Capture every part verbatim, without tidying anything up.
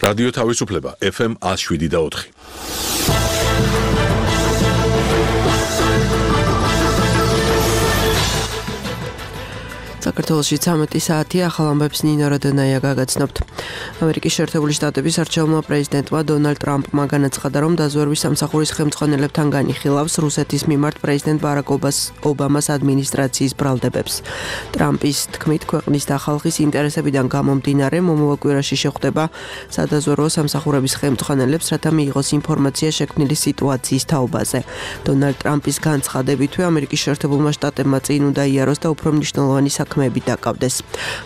რადიო თავისუფლება ეფ ემ one oh seven და four. საქართველოში ცამეტი საათი ახალ ამბებს ნინო როდონაია გაგაცნობთ. ამერიკის შეერთებული შტატების არჩეულმა პრეზიდენტმა დონალდ ტრამპმა განაცხადა, რომ დაზვერვის სამსახურის ხელმძღვანელებთან განიხილავს რუსეთის მიმართ პრეზიდენტ ბარაკ ობამას ადმინისტრაციის ბრალდებებს. ტრამპის თქმით, ქვეყნის და ხალხის ინტერესებიდან გამომდინარე მომავალ კვირაში შეხვდება სადაზვერვო სამსახურების ხელმძღვანელებს, რათა მიიღოს ინფორმაცია შექმნილი სიტუაციის თაობაზე. დონალდ ტრამპის განცხადებითვე ამერიკის შეერთებულმა შტატებმა წინ უნდა იაროს და უფრო მნიშვნელოვანი საქმეები დაკავდეს.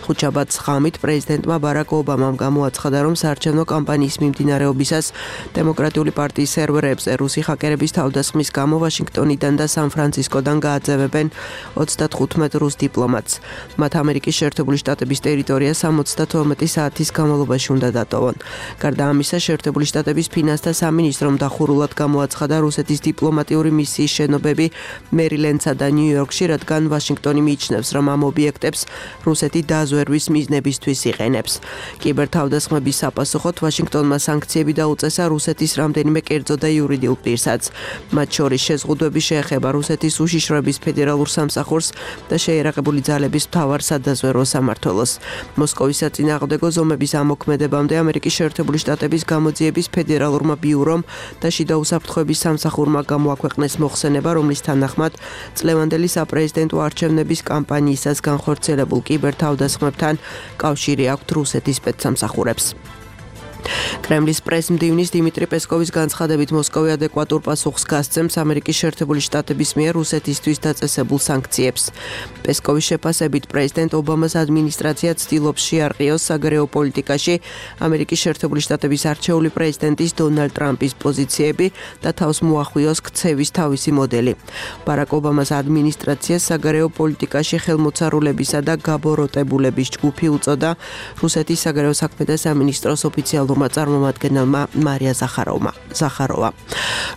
ხუთშაბათს ღამით პრეზიდენტმა ბარაკ ობამამ გამოაცხადა, რომ საარჩევნო კამპანიის მიმდინარეობისას დემოკრატიული პარტიის სერვერებზე რუსი ჰაკერების თავდასხმის გამო ვაშინგტონიდან და სან-ფრანცისკოდან გააძევებენ ოცდათხუთმეტ რუს დიპლომატს. მათ ამერიკის შეერთებული შტატების ტერიტორია სამოცდათორმეტი საათის განმავლობაში უნდა დატოვონ. გარდა ამისა, შეერთებული შტატების ფინანსთა სამინისტრომ დახურულად გამოაცხადა რუსეთის დიპლომატიური მისიის შენობები მერილენდსა და ნიუ-იორკში, რადგან ვაშინგტონი მიიჩნევს, რომ ამ ობიექტებს რუსეთი დაზვერვის მიზნებისთვის იყენებს. კიბერთავდასხმების საპასუხოდ ვაშინგტონმა სანქციები დაუწესა რუსეთის რამდენიმე კერძო და იურიდიულ პირსაც. მათ შორის შეზღუდვები შეეხება რუსეთის უშიშროების ფედერალურ სამსახურს და შეიარაღებული ძალების მთავარ სადაზვერვო სამმართველოს. მოსკოვის საწინააღმდეგო ზომების ამოქმედებამდე ამერიკის შეერთებული შტატების გამოძიების ფედერალურმა ბიურომ და შიდა უსაფრთხოების სამსახურმა გამოაქვეყნეს მოხსენება, რომლის თანახმად წლევანდელი საპრეზიდენტო არჩევნების კამპანიისას განხორციელებულ კიბერთავდასხმებთან კავშირი აქვთ რუსეთის სპეცსამსახურებს. კრემლის პრეს-მდივნის დიმიტრი პესკოვის განცხადებით მოსკოვი ადეკვატურ პასუხს გასცემს ამერიკის შეერთებული შტატების მიერ რუსეთისთვის დაწესებულ სანქციებს. პესკოვის შეფასებით პრეზიდენტ ობამას ადმინისტრაცია ცდილობს შეარყიოს საგარეო პოლიტიკაში ამერიკის შეერთებული შტატების არჩეული პრეზიდენტის დონალდ ტრამპის პოზიციები და თავს მოახვიოს ქცევის თავისი მოდელი. ბარაკ ობამას ადმინისტრაციას საგარეო პოლიტიკაში ხელმოწარულებისა და გაბოროტებულების ჯგუფი უწოდა რუსეთის საგარეო საქმეთა სამინისტროს ოფიციალურ წარმომადგენელმა მარია ზახაროვა.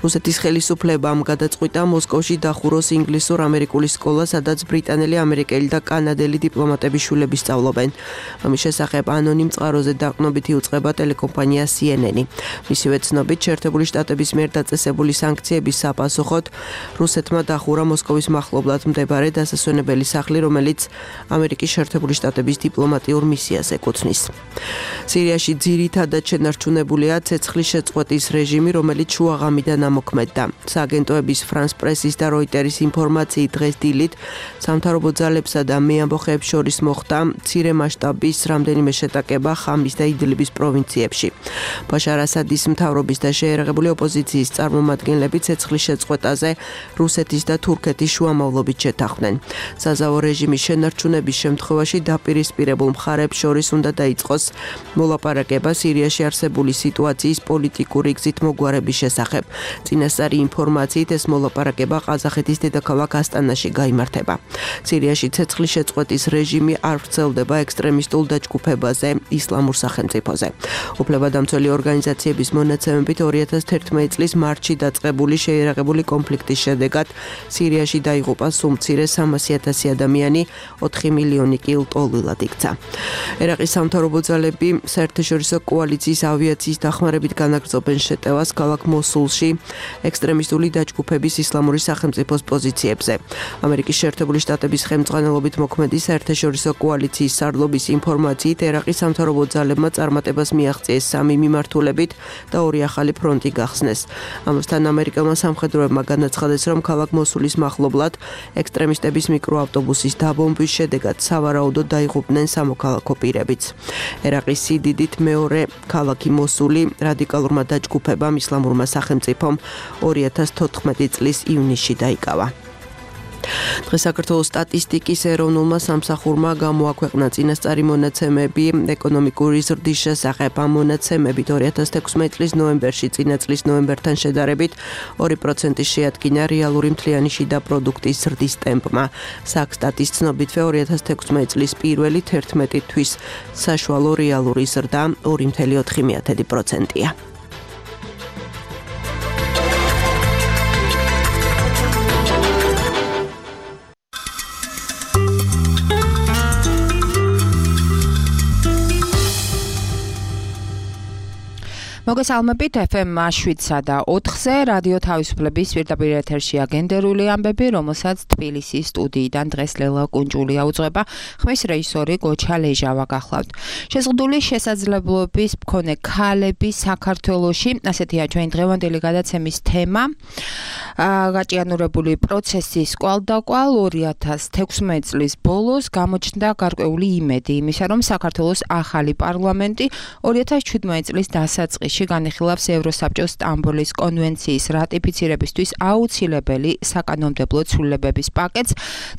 რუსეთის ხელისუფლებამ გადაწყვიტა მოსკოვში დახუროს ინგლისურ-ამერიკული სკოლა, სადაც ბრიტანელი, ამერიკელი და კანადელი დიპლომატების შვილები სწავლობენ. ამის შესახებ ანონიმ წყაროზე დაყრდნობით იუწყება ტელეკომპანია სი ენ ენი. მისივე ცნობით, შეერთებული შტატების მიერ დაწესებული სანქციების საპასუხოდ რუსეთმა დახურა მოსკოვის მახლობლად მდებარე დასასვენებელი სახლი, რომელიც ამერიკის შეერთებული შტატების დიპლომატიურ მისიას ეკუთვნის. სირიაში ძირითადად შენარჩუნებულია ცეცხლის შეწყვეტის რეჟიმი, რომელიც შუაღამიდან ამოქმედდა. სააგენტოების ფრანს პრესის და როიტერის ინფორმაციით დღეს დილით სამთავრობო ძალებსა და მეამბოხეებს შორის მოხდა მცირე მასშტაბის რამდენიმე შეტაკება ხამის და იდლიბის პროვინციებში. ბაშარ ასადის მთავრობის და შეიარაღებული ოპოზიციის წარმომადგენლები ცეცხლის შეწყვეტაზე რუსეთის და თურქეთის შუამავლობით შეთანხმდნენ. საზავო რეჟიმის შენარჩუნების შემთხვევაში დაპირისპირებულ მხარებს შორის უნდა დაიწყოს მოლაპარაკება სირიაში არსებული სიტუაციის პოლიტიკური გზით მოგვარების შესახებ. წინასწარი ინფორმაციით ეს მოლაპარაკება ყაზახეთის დედაქალაქ ასტანაში გაიმართება. სირიაში ცეცხლის შეწყვეტის რეჟიმი არ ვრცელდება ექსტრემისტულ დაჯგუფებაზე, ისლამურ სახელმწიფოზე. უფლებადამცველი ორგანიზაციების მონაცემებით ორი ათას თერთმეტი წლის მარტში დაწყებული შეიარაღებული კონფლიქტის შედეგად სირიაში დაიღუპა სულ მცირე სამასი ათასი ადამიანი, ოთხი მილიონი კი ლტოლვილად იქცა. ერაყის სამთავრობო ძალები საერთაშორისო კოალიციის ავიაციის დახმარებით განაგრძობენ შეტევას ქალაქ მოსულში ექსტრემისტული დაჯგუფების ისლამური სახელმწიფოს პოზიციებზე. ამერიკის შეერთებული შტატების ხელმძღვანელობით მოქმედი საერთაშორისო კოალიციის სარდლობის ინფორმაციით ერაყის სამთავრობო ძალებმა წარმატებას მიაღწიეს სამი მიმართულებით და ორი ახალი ფრონტი გახსნეს. ამასთან ამერიკელმა სამხედროებმა განაცხადეს, რომ ქალაქ მოსულის მახლობლად ექსტრემისტების მიკროავტობუსის დაბომბვის შედეგად სავარაუდოდ დაიღუპნენ სამოქალაქო პირებიც. ერაყის სიდიდით მეორე ქალაქი მოსული რადიკალურმა დაჯგუფებამ ისლამურმა სახელმწიფომ ორი ათას თოთხმეტი წლის ივნისში დაიკავა. დღეს საქართველოს სტატისტიკის ეროვნულმა სამსახურმა გამოაქვეყნა წინასწარი მონაცემები ეკონომიკური ზრდის შესახებ. ამ მონაცემებით ორი ათას თექვსმეტი წლის ნოემბერში წინა წლის ნოემბერთან შედარებით ორი პროცენტი შეადგინა რეალური მთლიანი შიდა პროდუქტის ზრდის ტემპმა. საქსტატის ცნობითვე ორი ათას თექვსმეტი წლის პირველი თერთმეტი თვის საშუალო რეალური ზრდა ორი ფاصლე ოთხი პროცენტია. მოგესალმებით эф эм შვიდსა და ოთხზე რადიო თავისუფლების პირდაპირ ეთერშია გენდერული ამბები, რომელსაც თბილისის სტუდიიდან დღეს ლელა კუნჯულია უძღვება. ხმის რეჟისორი გოჩა ლეჟავა გახლავთ. შეზღუდული შესაძლებლობის მქონე ქალები საქართველოში, ასეთია ჩვენ დღევანდელი გადაცემის თემა. გაჭიანურებული პროცესის კვალდაკვალ ორი ათას თექვსმეტი წლის ბოლოს გამოჩნდა გარკვეული იმედი იმისა, რომ საქართველოს ახალი პარლამენტი ორი ათას შვიდმეტი წლის დასაწყისში განიხილავს ევროსაბჭოს სტამბოლის კონვენციის რატიფიცირებისთვის აუცილებელი საკანონმდებლო ცვლილებების პაკეტს.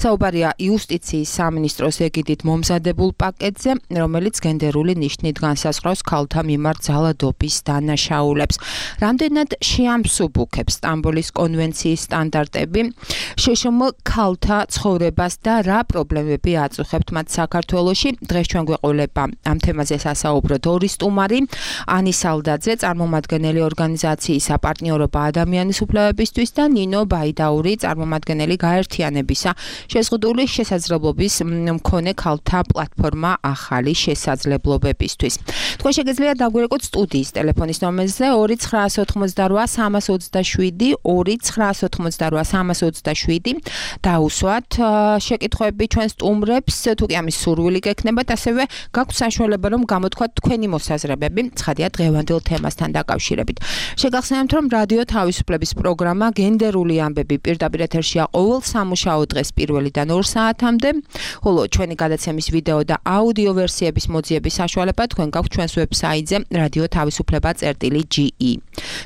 საუბარია იუსტიციის სამინისტროს ეგიდით მომზადებულ პაკეტზე, რომელიც გენდერული ნიშნით განსაზღვრავს ქალთა მიმართ ძალადობის დანაშაულებს. რამდენად შეამსუბუქებს სტამბოლის კონვენციის სტანდარტები შეშმ ქალთა ცხოვრებას და რა პრობლემები აწუხებთ მათ საქართველოში. დღეს ჩვენ გვეყოლება ამ თემაზე სასაუბროთ ორი სტუმარი, ანი სალდაძე, წარმომადგენელი ორგანიზაციის საპარტნიორობა ადამიანის უფლებებისთვის და ნინო ბაიდაური, წარმომადგენელი გაერთიანებისა შეზღუდული შესაძლებლობის მქონე ქალთა პლატფორმა ახალი შესაძლებლობებისთვის. თქვენ შეგიძლიათ დაგვირეკოთ სტუდიის ტელეფონის ნომერზე ორი ცხრაას ოცდაოთხმოცდარვა სამას ოცდაშვიდი ორი ცხრაას ოცდაოთხმოცდარვა სამას ოცდაშვიდი დაუსვათ შეკითხვები ჩვენ სტუმრებს, თუ კი ამის სურვილი გექნებათ, ასევე გაქვთ საშუალება რომ გამოთქვათ თქვენი მოსაზრებები, ცხადია დღევანდელ თემასთან დაკავშირებით. შეგახსენებთ, რომ რადიო თავისუფლების პროგრამა გენდერული ამბები პირდაპირ ეთერშია ყოველ სამუშაო დღეს პირველიდან ორ საათამდე, ხოლო ჩვენი გადაცემის ვიდეო და აუდიო ვერსიების მოძიების საშუალება თქვენ გაქვთ ჩვენს ვებსაიტზე რადიო თავისუფლება წერტილი ჯი ი.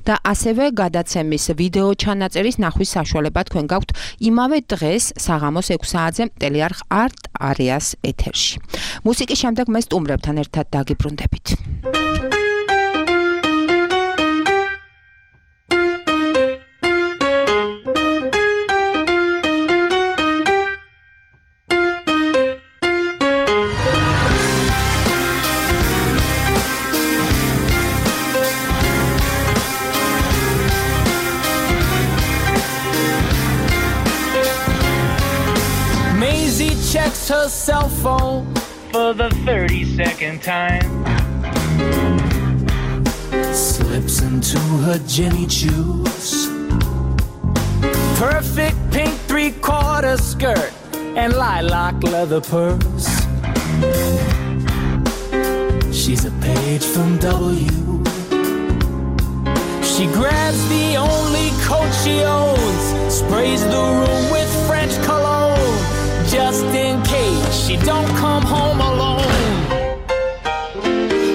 და ასევე გადაცემის ვიდეო ჩანაწერის ნახვის საშუალება თქვენ გაქვთ იმავე დღეს საღამოს ექვს საათზე ტელეარხ არტ არეას ეთერში. მუსიკის შემდეგ მე სტუმრებთან ერთად დაგიბრუნდებით. Checks her cell phone for the thirty-second time. Slips into her Jenny Choos. Perfect pink three-quarter skirt and lilac leather purse. She's a page from W. She grabs the only coat she owns, sprays the room with French cologne. Just in case she don't come home alone.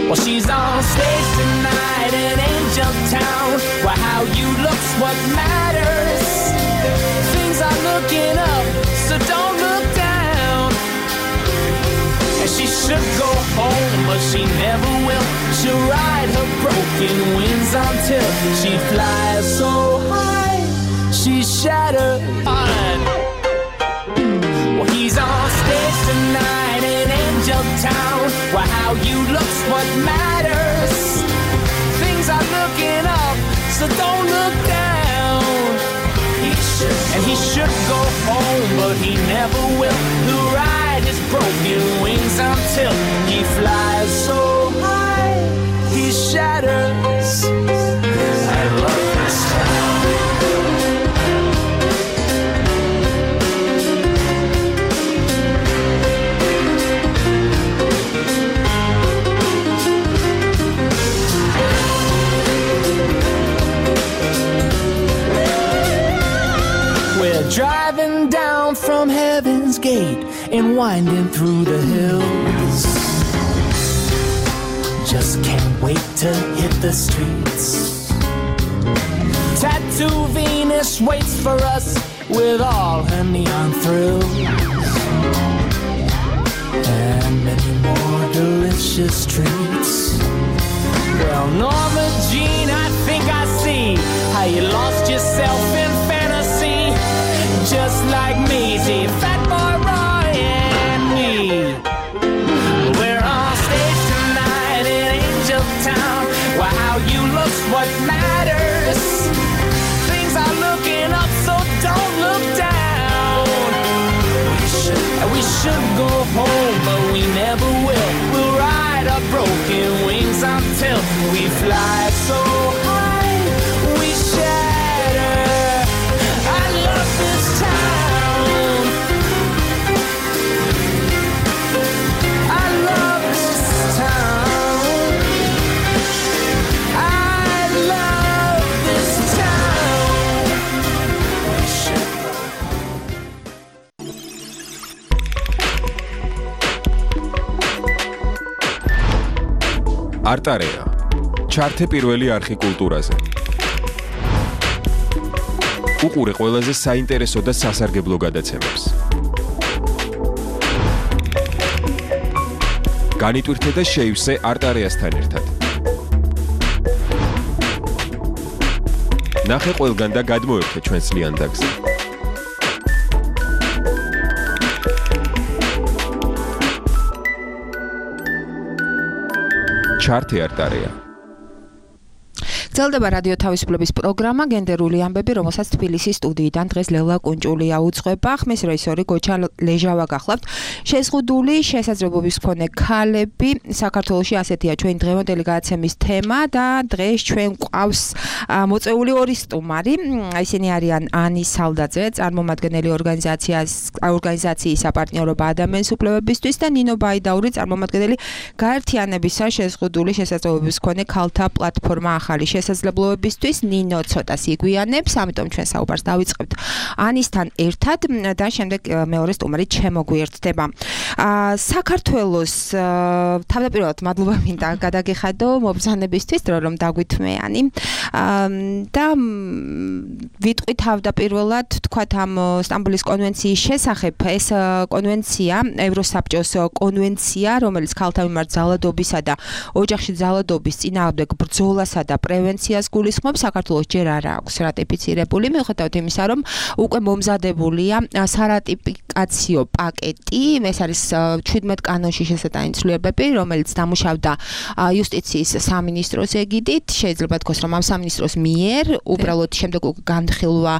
Well, she's on stage tonight in Angel Town, where how you look's what matters. Things are looking up, so don't look down. And she should go home, but she never will. She'll ride her broken wings until she flies so high, she's shattered. Well, he's on stage tonight in Angel Town, where how you look's what matters. Things are looking up, so don't look down. He should, and he should go home, but he never will. He'll ride his broken wings until he flies so high, he shatters. I love this town. Driving down from Heaven's Gate and winding through the hills. Just can't wait to hit the streets. Tattoo Venus waits for us with all her neon thrills. And many more delicious treats. Well, Norma Jean, I think I see how you lost yourself in fantasy. Just like Maisie, Fat Boy Roy and me. We're on stage tonight in Angel Town, where how you look's what matters. Things are looking up, so don't look down. We should, we should go home, but we never will. We'll ride our broken wings until we fly so არტარეა. ჩართე პირველი არხი კულტურაზე. უყურე ყველაზე საინტერესო და სასარგებლო გადაცემებს. განიტვირთე და შეივსე არტარეასთან ერთად. ნახე ყველგან და გადმოერთე ჩვენს ლიანდაგზე. ჩართე არტარეა. გრძელდება რადიო თავისუფლების პროგრამა გენდერული ამბები, რომელსაც თბილისის სტუდიიდან დღეს ლელა კუნჭულია უძღვება. ხმის რეჟისორი გოჩა ლეჟავა გახლავთ. შეზღუდული შესაძლებლობის მქონე ქალები საქართველოში ასეთია ჩვენი დღევანდელი გადაცემის თემა და დღეს ჩვენ გვყავს მოწვეული ორი სტუმარი. ისინი არიან ანი სალდაძე, წარმომადგენელი ორგანიზაციას ორგანიზაციის საპარტნიორობა ადამიანის უფლებებისთვის და ნინო ბაიდაური, წარმომადგენელი გაერთიანებისა შეზღუდული შესაძლებლობის მქონე ქალთა პლატფორმა ახალი შესაძლებლობებისთვის. ნინო ცოტას იგვიანებს, ამიტომ ჩვენ საუბარს დავიწყებთ ანისთან ერთად და შემდეგ მეორე სტუმარი შემოგვიერთდება. საქართველოს თავდაპირველად მადლობა მინდა გადაგიხადო მობრძანებისთვის, რომ დაგვითმეანი და ვიტყვი თავდაპირველად თქვათ ამ სტამბოლის კონვენციის შესახებ. ეს კონვენცია, ევროსაბჭოს კონვენცია, რომელიც ქალთა მიმართ ძალადობისა და ოჯახში ძალადობის წინააღმდეგ ბრძოლასა და პრევენციას გულისხმობს, საქართველოს ჯერ არ აქვს რატიფიცირებული, მიუხედავად იმისა, რომ უკვე მომზადებულია სარატიფიკაციო პაკეტი, ეს არის ჩვიდმეტ კანონში შესატანი ცვლილებები, რომელიც დამუშავდა იუსტიციის სამინისტროს ეგიდით. შეიძლება თქოს, რომ ამ სამინისტროს მიერ უბრალოდ შემდეგ განხილვა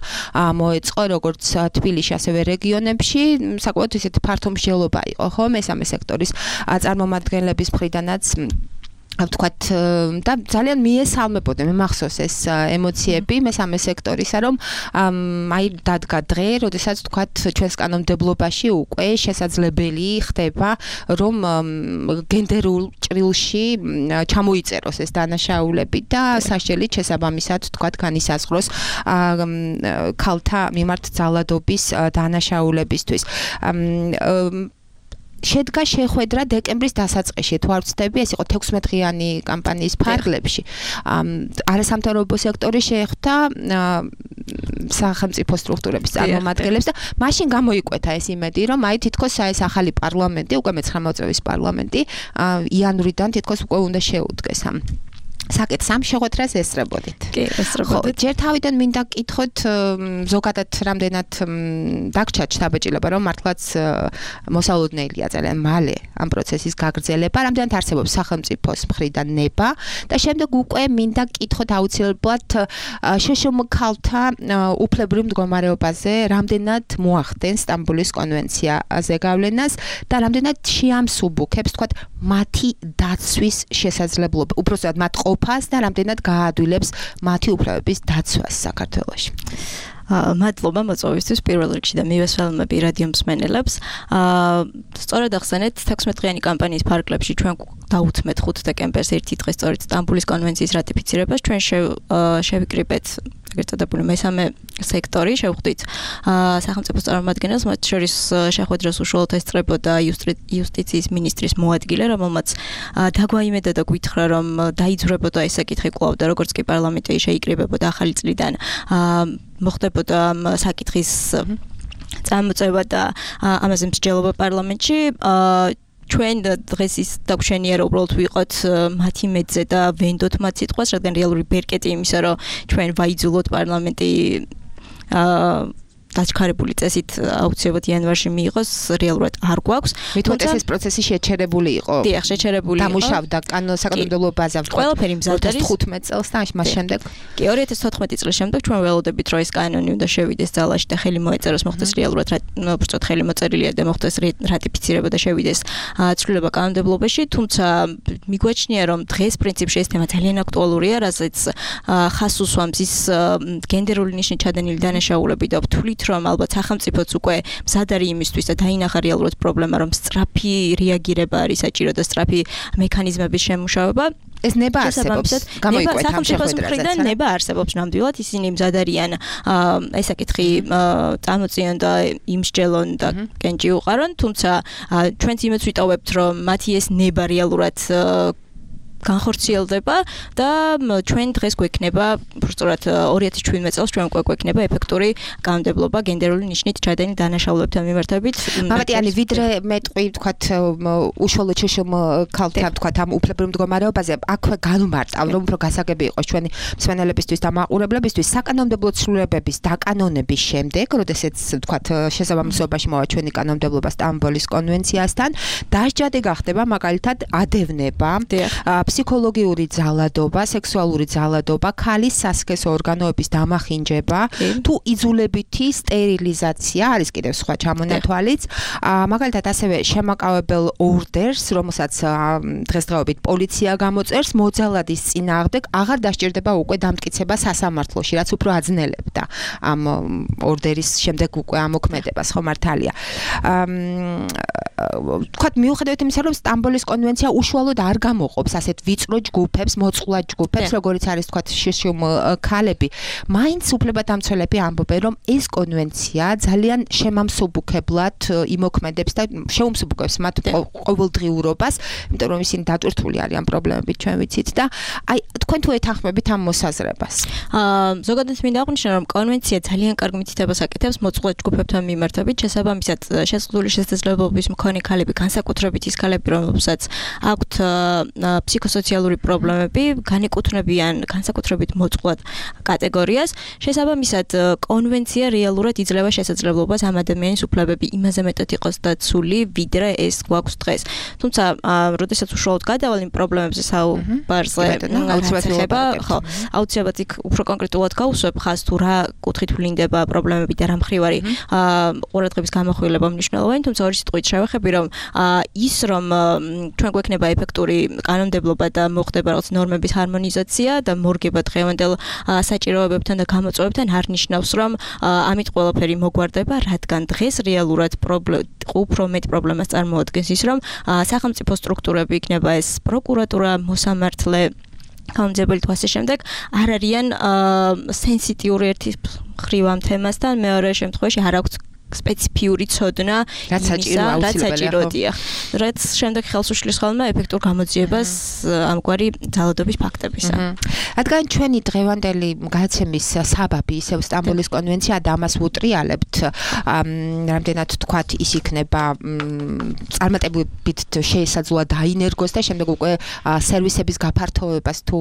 მოეწყო როგორც თბილისში, ასევე რეგიონებში. საკმაოდ ისეთი ფართო მსჯელობა იყო, ხო, მესამე სექტორის წარმომადგენლების მხრიდანაც. ვთქვათ და ძალიან მიესალმებოდა, მე მახსოვს ეს ემოციები მესამე სექტორისა, რომ აი დადგა დღე, როდესაც ვთქვათ ჩვენს კანონმდებლობაში უკვე შესაძლებელი ხდება, რომ გენდერულ ჭრილში ჩამოიწეროს ეს დანაშაულები და საშჯელით შესაბამისად ვთქვათ განისაზღვროს ქალთა მიმართ ძალადობის დანაშაულებისთვის. შედგა შეხვედრა დეკემბრის დასაწყისში, თუ არ ვცდები, ეს იყო თექვსმეტდღიანი კამპანიის ფარგლებში. არასამთავრობო სექტორი შეხვდა სახელმწიფო სტრუქტურების წარმომადგენლებს და მაშინ გამოიკვეთა ეს იმედი, რომ აი თითქოს ეს ახალი პარლამენტი, უკვე მეცხრამეტ წლის პარლამენტი, იანვრიდან თითქოს უკვე უნდა შეუდგეს ამ საკითხს. ამ შეხვედრას ესწრებოდით. კი, ესწრებოდით. ჯერ თავიდან მინდა გკითხოთ, ზოგადად რამდენად დაგჭა შთაბეჭდილება, რომ მართლაც მოსალოდნელია ძალიან მალე ამ პროცესის გაგრძელება, რამდენად არსებობს სახელმწიფოს მხრიდან ნება და შემდეგ უკვე მინდა გკითხოთ აუცილებლად შშმ ქალთა უფლებრივ მდგომარეობაზე, რამდენად მოახდენს სტამბოლის კონვენციაზე გავლენას და რამდენად შეამსუბუქებს, თქვათ, მათი დაცვის შესაძლებლობა, უბრალოდ მათ ყოფას და რამდენად გაადვილებს მათი უფლებების დაცვას საქართველოში. მადლობა მოწვევისთვის პირველ რიგში და მივესალმები რადიო მსმენელებს. სწორედ ახსენეთ, თექვსმეტდღიანი კამპანიის ფარგლებში ჩვენ დაუთმეთ ხუთ დეკემბერს ერთი დღე სწორედ სტამბოლის კონვენციის რატიფიცირებას. ჩვენ შევიკრიბეთ ეგრეთ წოდებული მესამე სექტორი, შევხვდით სახელმწიფო წარმომადგენელს, მათ შორის შეხვედრას უშუალოდ ესწრებოდა იუსტიციის მინისტრის მოადგილე, რომელმაც დაგვაიმედა და გვითხრა, რომ დაიძვრებოდა ეს საკითხი კვლავ და როგორც კი პარლამენტი შეიკრიბებოდა ახალი წლიდან მოხდებოდა საკითხის წამოწევა და ამაზე მსჯელობა პარლამენტში. ჩვენ დღეს ის დაგვშენია, რომ უბრალოდ ვიყოთ მათი მეძე და ვენდოთ მათ სიტყვას, რადგან რეალური ბერკეტი იმისა, რომ ჩვენ ვაიძულოთ პარლამენტი დაჩქარებული წესით აუცილებლად იანვარში მიიღოს, რეალურად არ გვაქვს. მithmetes ეს პროცესი შეჩერებული იყო. დიახ, შეჩერებული იყო. დამუშავდა საკანონმდებლო ბაზა. ყველაფერი მზად არის თხუთმეტ წელს და მას შემდეგ. კი, ორი ათას თოთხმეტი წლის შემდეგ ჩვენ ველოდებით, რომ ეს კანონი უნდა შევიდეს ძალაში და ხელი მოეწეროს, მოხდეს რეალურად, უბრალოდ ხელი მოწერილია და მოხდეს რატიფიცირება და შევიდეს ცვლილება კანონმდებლობაში, თუმცა მიგვაჩნია, რომ დღეს პრინციპში ეს თემა ძალიან აქტუალურია, რასაც ხას უსვამს ის გენდერული ნიშნის ჩადენილი დანაშაულები და ვთვლით, რომ ალბათ სახელმწიფოც უკვე მზად არის იმისთვის და დაინახა რეალურად პრობლემა, რომ სწრაფი რეაგირება არის საჭირო და სწრაფი მექანიზმების შემუშავება. ეს ნება არსებობს. გამოიკვეთა ამ შეხვედრაზე. ნება არსებობს ნამდვილად, ისინი მზად არიან ეს საკითხი წამოწიონ და იმსჯელონ და კენჭი უყარონ, თუმცა ჩვენც იმედს ვიტოვებთ, რომ მათი ეს ნება რეალურად განხორციელდება და ჩვენ დღეს გვექნება უბრალოდ ორი ათი შვიდმეტ წელს ჩვენ გვექნება ეფექტური კანონმდებლობა გენდერული ნიშნით ჩადენილ დანაშაულებთან მიმართებით. მამატიანი ვიდრე მეტყვი ვთქვათ უშუალოდ შეშლილ ქალთან ვთქვათ ამ უფლებრივ მდგომარეობაზე აქვე განუმარტავ რომ უფრო გასაგები იყოს ჩვენი მსმენელებისთვის და მაყურებლებისთვის საკანონმდებლო ცვლილებების დაკანონების შემდეგ, როდესაც ვთქვათ შესაბამისობაში მოვა ჩვენი კანონმდებლობა სტამბოლის კონვენციასთან, დასჯადი გახდება მაგალითად ადევნება, ფსიქოლოგიური ძალადობა, სექსუალური ძალადობა, ქალის სასქესო ორგანოების დამახინჯება, თუ იძულებითი სტერილიზაცია არის კიდევ სხვა ჩამონათვალიც, მაგალითად ასევე შემაკავებელ ორდერს, რომელსაც დღესდღეობით პოლიცია გამოწერს, მოძალადის წინააღმდეგ აღარ დასჭირდება უკვე დამტკიცება სასამართლოში, რაც უფრო აძნელებდა ამ ორდერის შემდეგ უკვე ამოქმედებას, ხო მართალია. ვთქვათ, მიუხედავად იმისა, რომ სტამბოლის კონვენცია უშუალოდ არ გამოყოფს ასეთ ვიწრო ჯგუფებს, მოწყვლად ჯგუფებს, როგორიც არის ვთქვათ შიშუმ ქალები, მაინც უფლებადამცველები ამბობენ, რომ ეს კონვენცია ძალიან შემამსუბუქებლად იმოქმედებს და შეუმსუბუქებს მათ ყოველდღიურობას, იმიტომ რომ ისინი დატვირთული არიან პრობლემებით, ჩვენ ვიცით და აი თქვენ თუ ეთანხმებით ამ მოსაზრებას. აა ზოგადად მინდა აღვნიშნო, რომ კონვენცია ძალიან კარგ მითითებას აკეთებს მოწყვლად ჯგუფებთან მიმართებით, შესაბამისად შეზღუდული შესაძლებლობების მქონე ქალები, განსაკუთრებით ის ქალები, რომლებსაც აქვთ ფსიქოსოციალური პრობლემები, განეკუთვნებიან განსაკუთრებით მოწყვლად კატეგორიას, შესაბამისად კონვენცია რეალურად იძლევა შესაძლებლობას ამ ადამიანის უფლებები იმაზე მეტად იყოს დაცული, ვიდრე ეს გვაქვს დღეს. თუმცა, როდესაც უშუალოდ გადავალ იმ პრობლემებზე საუბარზე, აუცილებლობა, ხო, აუცილებლად იქ უფრო კონკრეტულად გავუსვებ ხაზს თუ რა კუთხით ვლინდება პრობლემები და რა მხრივ არის ყურადღების გამახვილება მნიშვნელოვანი, თუმცა ორი სიტყვით შევეხები, რომ ის რომ ჩვენ გვექნება ეფექტური კანონმდებლობა და მოხდება რაღაც ნორმების ჰარმონიზაცია და მორგება დღევანდელ საჭიროებებთან და გამოწვევებთან არ ნიშნავს, რომ ამით ყველაფერი მოგვარდება, რადგან დღეს რეალურად უფრო მეტ პრობლემას წარმოადგენს ის, რომ სახელმწიფო სტრუქტურები იქნება ეს პროკურატურა, მოსამართლე, კანონმდებელი თუ ასე შემდეგ არ არიან სენსიტიური ერთი მხრივ ამ თემასთან, მეორე შემთხვევაში არ აქვს სპეციფიური ცოდნა რაც საჭიროა, რაც შემდეგ ხელს უშლის ხოლმე ეფექტურ გამოძიებას ამგვარი ძალადობის ფაქტებისა. რადგან ჩვენი დღევანდელი გადაცემის საბაბი ისევ სტამბოლის კონვენცია და ამას ვუტრიალებთ, რამდენად თქვათ ის იქნება წარმატებით შეესაძლოა დაინერგოს და შემდეგ უკვე სერვისების გაფართოვებას თუ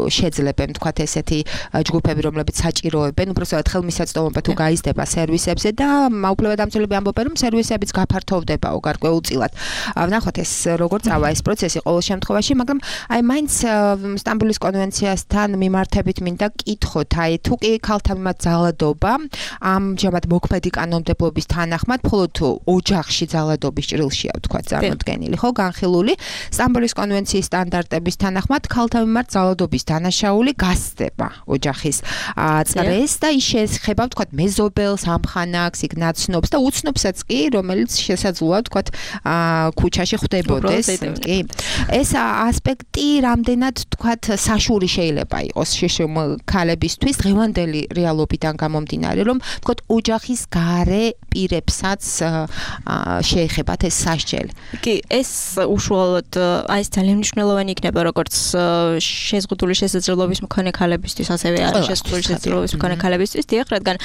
შეძლებენ თქვათ ესეთი ჯგუფები, რომლებიც საჭიროებენ, უბრალოდ ხელმისაწვდომობა თუ გაიზრდება სერვისებზე და უფლებადამცველები ამბობენ, რომ სერვისებიც გაფართოვდებაო გარკვეულწილად. ვნახოთ ეს როგორ წავა ეს პროცესი ყოველ შემთხვევაში, მაგრამ აი მაინც სტამბოლის კონვენციასთან მიმართებით მინდა კითხოთ, აი თუ კი ქალთან მიმართ ძალადობა ამჟამად მოქმედი კანონმდებლობის თანახმად მხოლოდ ოჯახში ძალადობის ჭრილშია ვთქვათ წარმოდგენილი, ხო, განხილული. სტამბოლის კონვენციის სტანდარტების თანახმად ქალთან მიმართ ძალადობის დანაშაული გასცდება ოჯახის წრეს და ის შეეხება ვთქვათ მეზობელს, ამხანაგს, იქ ნაცნობს და უცნობსაც კი, რომელიც შესაძლოა ვთქვათ ქუჩაში ხვდებოდეს, კი. ეს ასპექტი რამდენად ვთქვათ საშური შეიძლება იყოს შიშუმ ქალებისთვის დღევანდელი რეალობიდან გამომდინარე, რომ ვთქვათ ოჯახის გარე პირებსაც შეეხებათ ეს სასჯელი. კი, ეს უშუალოდ აი ეს ძალიან მნიშვნელოვანი იქნება როგორც შეზღუდული შესაძლებლობის მქონე ქალებისთვის, ასევე არის შეზღუდული შესაძლებლობის მქონე ქალებისთვის, დიახ, რადგან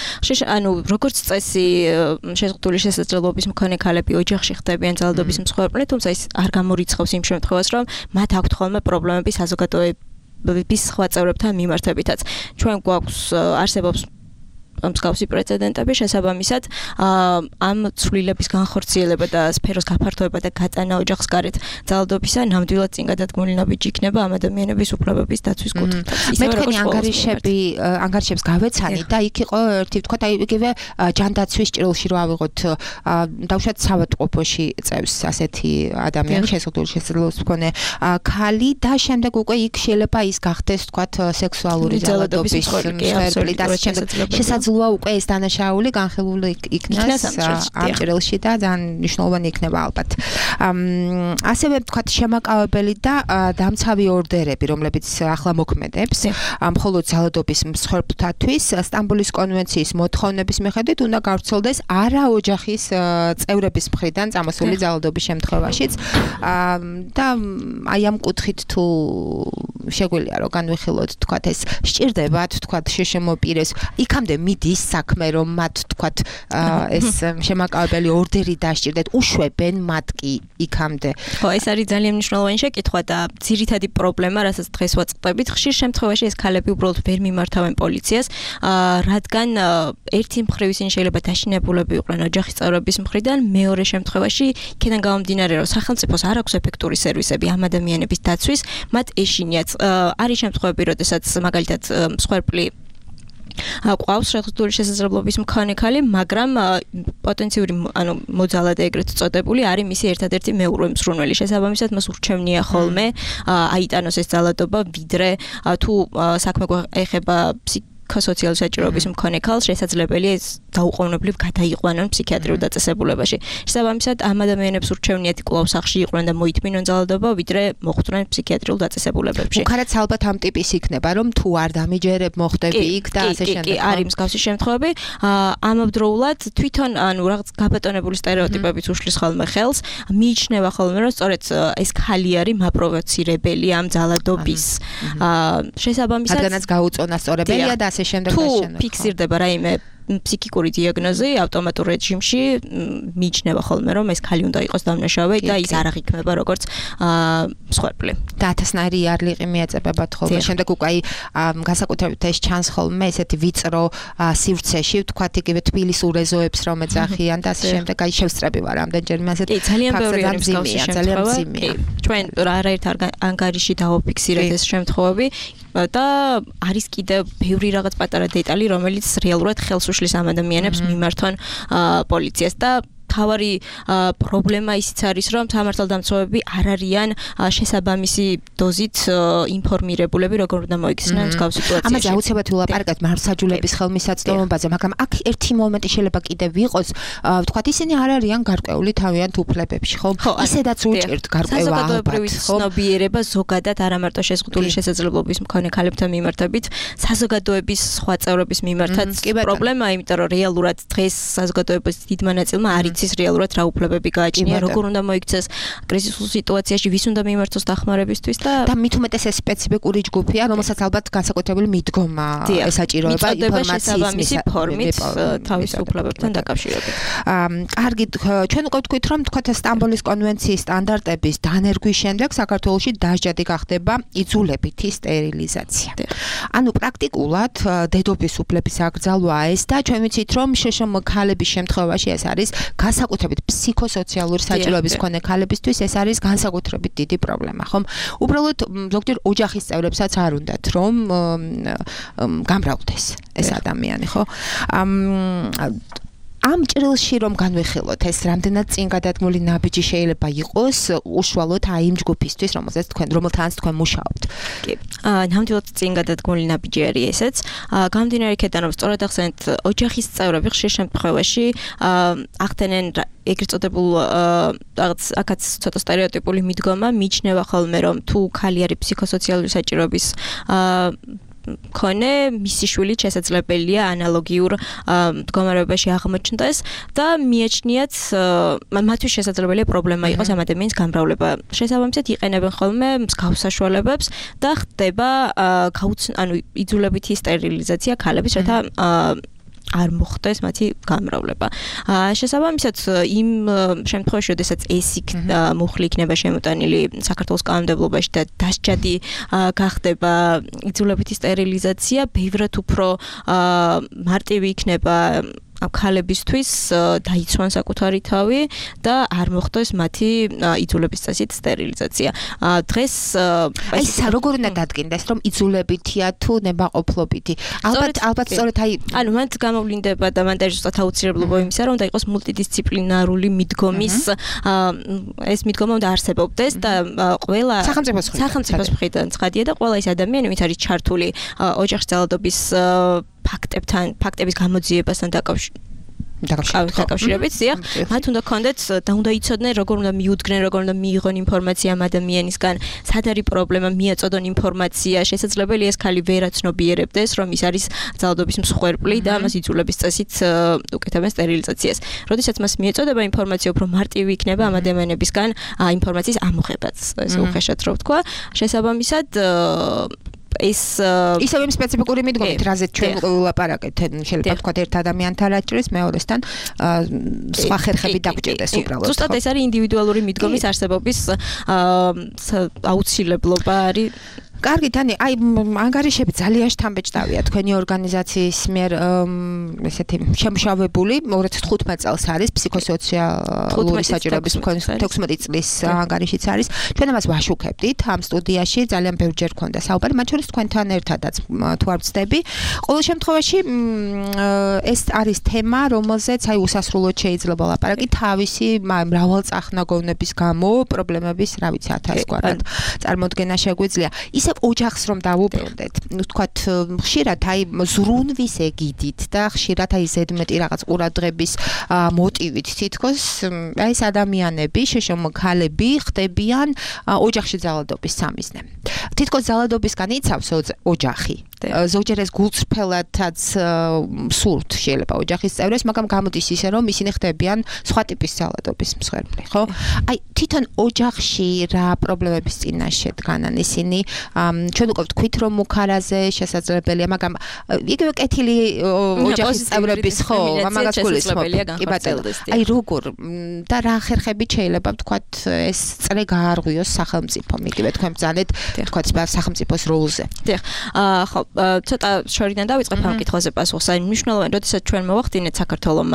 ანუ როგორც წესი შეზღუდული შესაძლებლობის მქონე ქალები ოჯახში ხდებიან ძალადობის მსხვერპლი, თუმცა ის არ გამორიცხავს იმ შემთხვევას, რომ მათ აქვთ ხოლმე პრობლემები საზოგადოების სხვა წევრებთან მიმართებითაც. ჩვენ გვაქვს არსებობს მსგავსი პრეცედენტები, შესაბამისად ამ ცვლილების განხორციელება და სფეროს გაფართოება და გაწანა ოჯახს გარეთ ძალადობისა ნამდვილად წინ გადადგმული ნაბიჯი იქნება ამ ადამიანების უფლებების დაცვის კუთხით. მე თქვენი ანგარიშები ანგარიშებს გავეცანი და იქ იყო ერთი ვთქვათ აი იგივე ჯანდაცვის ჭრილში რო ავიღოთ დავუშვათ საავადმყოფოში წევს ასეთი ადამიანი შეზღუდული შესაძლებლობის მქონე ქალი და შემდეგ უკვე იქ შეიძლება ის გახდეს ვთქვათ სექსუალური ძალადობის მსხვერპლი და შემდეგ შესაძლოა შეძლოა უკვე ეს დანაშაული განხილული იქნას ამ ჭრილში და ძალიან მნიშვნელოვანი იქნება ალბათ. ასევე ვთქვათ შემაკავებელი და დამცავი ორდერები, რომლებიც ახლა მოქმედებს, მხოლოდ ძალადობის მსხვერპლთათვის სტამბოლის კონვენციის მოთხოვნების მიხედვით უნდა გავრცელდეს არა ოჯახის წევრების მხრიდან წამოსული ძალადობის შემთხვევაშიც და აი ამ კუთხით თუ შეგვიძლია რომ განვიხილოთ თქვათ ეს სჭირდებათ თქვათ შეშმო პირეს იქამდე მიდის საქმე რომ მათ თქვათ ეს შემაკავებელი ორდერი დასჭირდეთ უშვებენ მათ კი იქამდე ხო ეს არის ძალიან მნიშვნელოვანი შეკითხვა და ძირითადი პრობლემა რასაც დღეს ვაწყდებით ხშირ შემთხვევაში ეს ქალები უბრალოდ ვერ მიმართავენ პოლიციას რადგან ერთი მხრივ ისინი შეიძლება დაშინებულები იყვნენ ოჯახის წევრების მხრიდან მეორე შემთხვევაში იქიდან გამომდინარე რომ სახელმწიფოს არ აქვს ეფექტური სერვისები ამ ადამიანების დაცვის მათ ეშინიათ არის შემთხვევები როდესაც მაგალითად მსხვერპლი ყავს შეხსრული შესაძლებლობის მქონე ქალი, მაგრამ პოტენციური ანუ მოძალადე ეგრეთ წოდებული არის მისი ერთადერთი მეურვე მსურველი. შესაბამისად მას ურჩევნია ხოლმე აიტანოს ეს ძალადობა, ვიდრე თუ საქმე ეხება ფსიქოსოციალური საჭიროების მქონე ქალს, შესაძლებელია ეს დაუყოვნებლივ გადაიყვანონ ფსიქიატრიულ დაწესებულებაში. შესაბამისად ამ ადამიანებს ურჩევნიათ კვლავ სახლში იყვნენ და მოითმინონ ძალადობა, ვიდრე მოხვდნენ ფსიქიატრიულ დაწესებულებებში. უკანაც ალბათ ამ ტიპის იქნება, რომ თუ არ დამიჯერებ, მოხდები იქ და ასე შემდეგ. კი, არის მსგავსი შემთხვევები. ამავდროულად თვითონ ანუ რაღაც გაბატონებული სტერეოტიპებით უშლის ხოლმე ხელს, მიიჩნევა ხოლმე, რომ სწორედ ეს ქალი არის მაპროვოცირებელი ამ ძალადობის. შესაბამისად, რადგანაც გაუწონა სწორებელია და ასე შემდეგ და შემდეგ. თუ ფიქსირდება რაიმე ფსიქიკური დიაგნოზი ავტომატურ რეჟიმში მიიჩნევა ხოლმე რომ ეს ქალი უნდა იყოს დამნაშავე და ის არ აღიქმება როგორც მსხვერპლი. და ათასნაირი იარლიყი მიეწებებათ ხოლმე. შემდეგ უკვე აი განსაკუთრებით ეს ჩანს ხოლმე ესეთი ვიწრო სივრცეში, ვთქვათ იგივე თბილისის ურეზოებს რომ ეძახიან და ასე შემდეგ აი შევსწრები ვარ ამდენჯერმე ასეთ ძალიან ბევრი არის მსგავსი შემთხვევა. ჩვენ არაერთ ანგარიში დავაფიქსირეთ ეს შემთხვევები და არის კიდევ ბევრი რაღაც პატარა დეტალი რომელიც რეალურად ხელს უშლის ამ ადამიანებს მიმართონ პოლიციას და თავარი პრობლემა ისიც არის რომ სამართალდამცავები არ არიან შესაბამისი დოზით ინფორმირებულები როგორ უნდა მოიქცნენ მსგავს სიტუაციაში. ამაზე აუცილებლად ვილაპარაკებთ მართლმსაჯულების ხელმისაწვდომობაზე, მაგრამ აქ ერთი მომენტი შეიძლება კიდევ იყოს, ვთქვათ ისინი არ არიან გარკვეული თავიანთ უფლებებში, ხო? ისედაც უჭერთ გარკვევა საზოგადოებრივი ცნობიერება ზოგადად არა მარტო შეზღუდული შესაძლებლობის მქონე ქალებთან მიმართებით, საზოგადოების სხვა წევრების მიმართაც პრობლემაა, იმიტომ რომ რეალურად დღეს საზოგადოების დიდმა ნაწილმა არის ის რეალურად რა უფლებები გააჩნია, როგორ უნდა მოიქცეს კრიზისულ სიტუაციაში, ვის უნდა მიმართოს დახმარებისთვის და და მით უმეტეს ეს სპეციფიკური ჯგუფია, რომელსაც ალბათ განსაკუთრებული მიდგომა ესაჭიროება ინფორმაციის მისი ფორმით თავის უფლებებთან დაკავშირებით. კარგი, ჩვენ უკვე ვთქვით, რომ თქვათ სტამბოლის კონვენციის სტანდარტების დანერგვის შემდეგ საქართველოში დასჯადი გახდება იძულებითი სტერილიზაცია. ანუ პრაქტიკულად დედობის უფლების აკრძალვაა ეს და ჩვენ ვიცით, რომ შეშმ ქალების შემთხვევაში ეს არის განსაკუთრებით ფსიქოსოციალური საჭიროების მქონე ქალებისთვის ეს არის განსაკუთრებით დიდი პრობლემა, ხომ? უბრალოდ ზოგჯერ ოჯახის წევრებსაც არ უნდათ რომ გამრავლდეს ეს ადამიანი, ხო? ამ ჭრილში რომ განვიხილოთ ეს რამდენად წინ გადადგმული ნაბიჯი შეიძლება იყოს უშუალოდ აი იმ ჯგუფისთვის, რომელსაც თქვენ რომელთანაც თქვენ მუშაობთ. კი. აა ნამდვილად წინ გადადგმული ნაბიჯი არის ესეც. აა გამდინარე იქიდან რომ სწორად ახსენეთ ოჯახის წევრები ხშირ შემთხვევაში ახდენენ ეგრეთ წოდებულ რაღაც აქაც ცოტა სტერეოტიპული მიდგომა მიიჩნევა ხოლმე რომ თუ ქალი არის ფსიქოსოციალური საჭიროების აა მქონე მისი შვილი შესაძლებელია ანალოგიურ მდგომარეობაში აღმოჩნდეს და მიაჩნიათ მათთვის შესაძლებელია პრობლემა იყოს ამ ადამიანის გამრავლება. შესაბამისად იყენებენ ხოლმე მსგავს საშუალებებს და ხდება ანუ იძულებითი სტერილიზაცია ქალების, რათა არ მოხდეს მათი გამრავლება. შესაბამისად იმ შემთხვევაში, როდესაც ეს მუხლი იქნება შემოტანილი საქართველოს კანონმდებლობაში და დასჯადი გახდება იძულებითი სტერილიზაცია, ბევრად უფრო მარტივი იქნება ქალებისთვის დაიცვან საკუთარი თავი და არ მოხდეს მათი იძულების წესით სტერილიზაცია. დღეს აი როგორ უნდა დადგინდეს რომ იძულებითია თუ ნებაყოფლობითი? ალბათ ალბათ სწორედ აი ანუ მან გამოვლინდება და მან დაიწყოს აუცილებლობა იმისა რომ უნდა იყოს მულტიდისციპლინარული მიდგომის ეს მიდგომა უნდა არსებობდეს და ყველა სახელმწიფოს სახელმწიფოს მხრიდან ცხადია და ყველა ის ადამიანი ვინც არის ჩართული ოჯახის ძალადობის ფაქტებთან, ფაქტების გამოძიებასთან დაკავშირებით დაკავშირებით, დიახ, მათ უნდა ქონდეთ და უნდა იცოდნენ როგორ უნდა მიუდგნენ, როგორ უნდა მიიღონ ინფორმაცია ამ ადამიანისგან, სად არის პრობლემა, მიაწოდონ ინფორმაცია, შესაძლებელია ეს ქალი ვერაცნობიერებდეს, რომ ის არის ძალადობის მსხვერპლი და მას იძულების წესით უკეთებენ სტერილიზაციას. როდესაც მას მიეწოდება ინფორმაცია, უფრო მარტივი იქნება ამ ადამიანებისგან ინფორმაციის ამოღებაც, ესე უხეშად რო ვთქვა. შესაბამისად ეს ისევ იმ სპეციფიკური მიდგომით, რაზეც ჩვენ ვილაპარაკეთ, შეიძლება თქვა ერთ ადამიანთან რაჭრის, მეორესთან სხვა ხერხები დაგჭირდეს უბრალოდ. ზუსტად ეს არის ინდივიდუალური მიდგომის არსებობის აუცილებლობა არის. კარგი, დანი, აი ანგარიშები ძალიან შთამბეჭდავია თქვენი ორგანიზაციის მიერ ესეთი შემშავებული ორი ათი თხუთმეტ წელს არის ფსიქოსოციალური საჭიროების მქონე თექვსმეტი წლის ანგარიშიც არის. ჩვენ ამას ვაშუქებდით ამ სტუდიაში, ძალიან ბევრჯერ ქონდა საუბარი, მათ შორის თქვენთან ერთადაც თუ არ ვცდები. ყოველ შემთხვევაში ეს არის თემა, რომელზეც აი უსასრულოდ შეიძლება ლაპარაკი თავისი მრავალწახნაგოვნების გამო პრობლემების, რა ვიცი, ათასგვარად წარმოდგენა შეგვიძლია. ისე ოჯახს რომ დავუბრუნდეთ, ну თქვათ ხშირად აი ზრუნვის ეგიდით და ხშირად აი ზედმეტი რაღაც ყურადღების მოტივით თითქოს აი ეს ადამიანები, შეშო ქალები ხდებიან ოჯახში ძალადობის სამიზნე. თითქოს ძალადობისგან იცავს ოჯახი. ზოგჯერ ეს გულწრფელადაც სურთ შეიძლება ოჯახის წევრებს, მაგრამ გამოდის ისე რომ ისინი ხდებიან სხვა ტიპის ძალადობის მსხვერპლი, ხო? აი თვითონ ოჯახში რა პრობლემების წინაშე დგანან ისინი ჩვენ უკვე ვთქვით რომ მუქარაზე შესაძლებელია, მაგრამ იგივე კეთილი ოჯახის წევრების ხო, ამაგას გულისხმობ. კი ბატონო. აი როგორ და რა ხერხებით შეიძლება ვთქვათ ეს წრე გაარღვიოს სახელმწიფომ, იგივე თქვენ ბრძანეთ ვთქვათ სახელმწიფოს როლზე. დიახ. აა ხო, ცოტა შორიდან დავიწყებ ამ კითხვაზე პასუხს. აი მნიშვნელოვანი, როდესაც ჩვენ მოვახდინეთ საქართველოს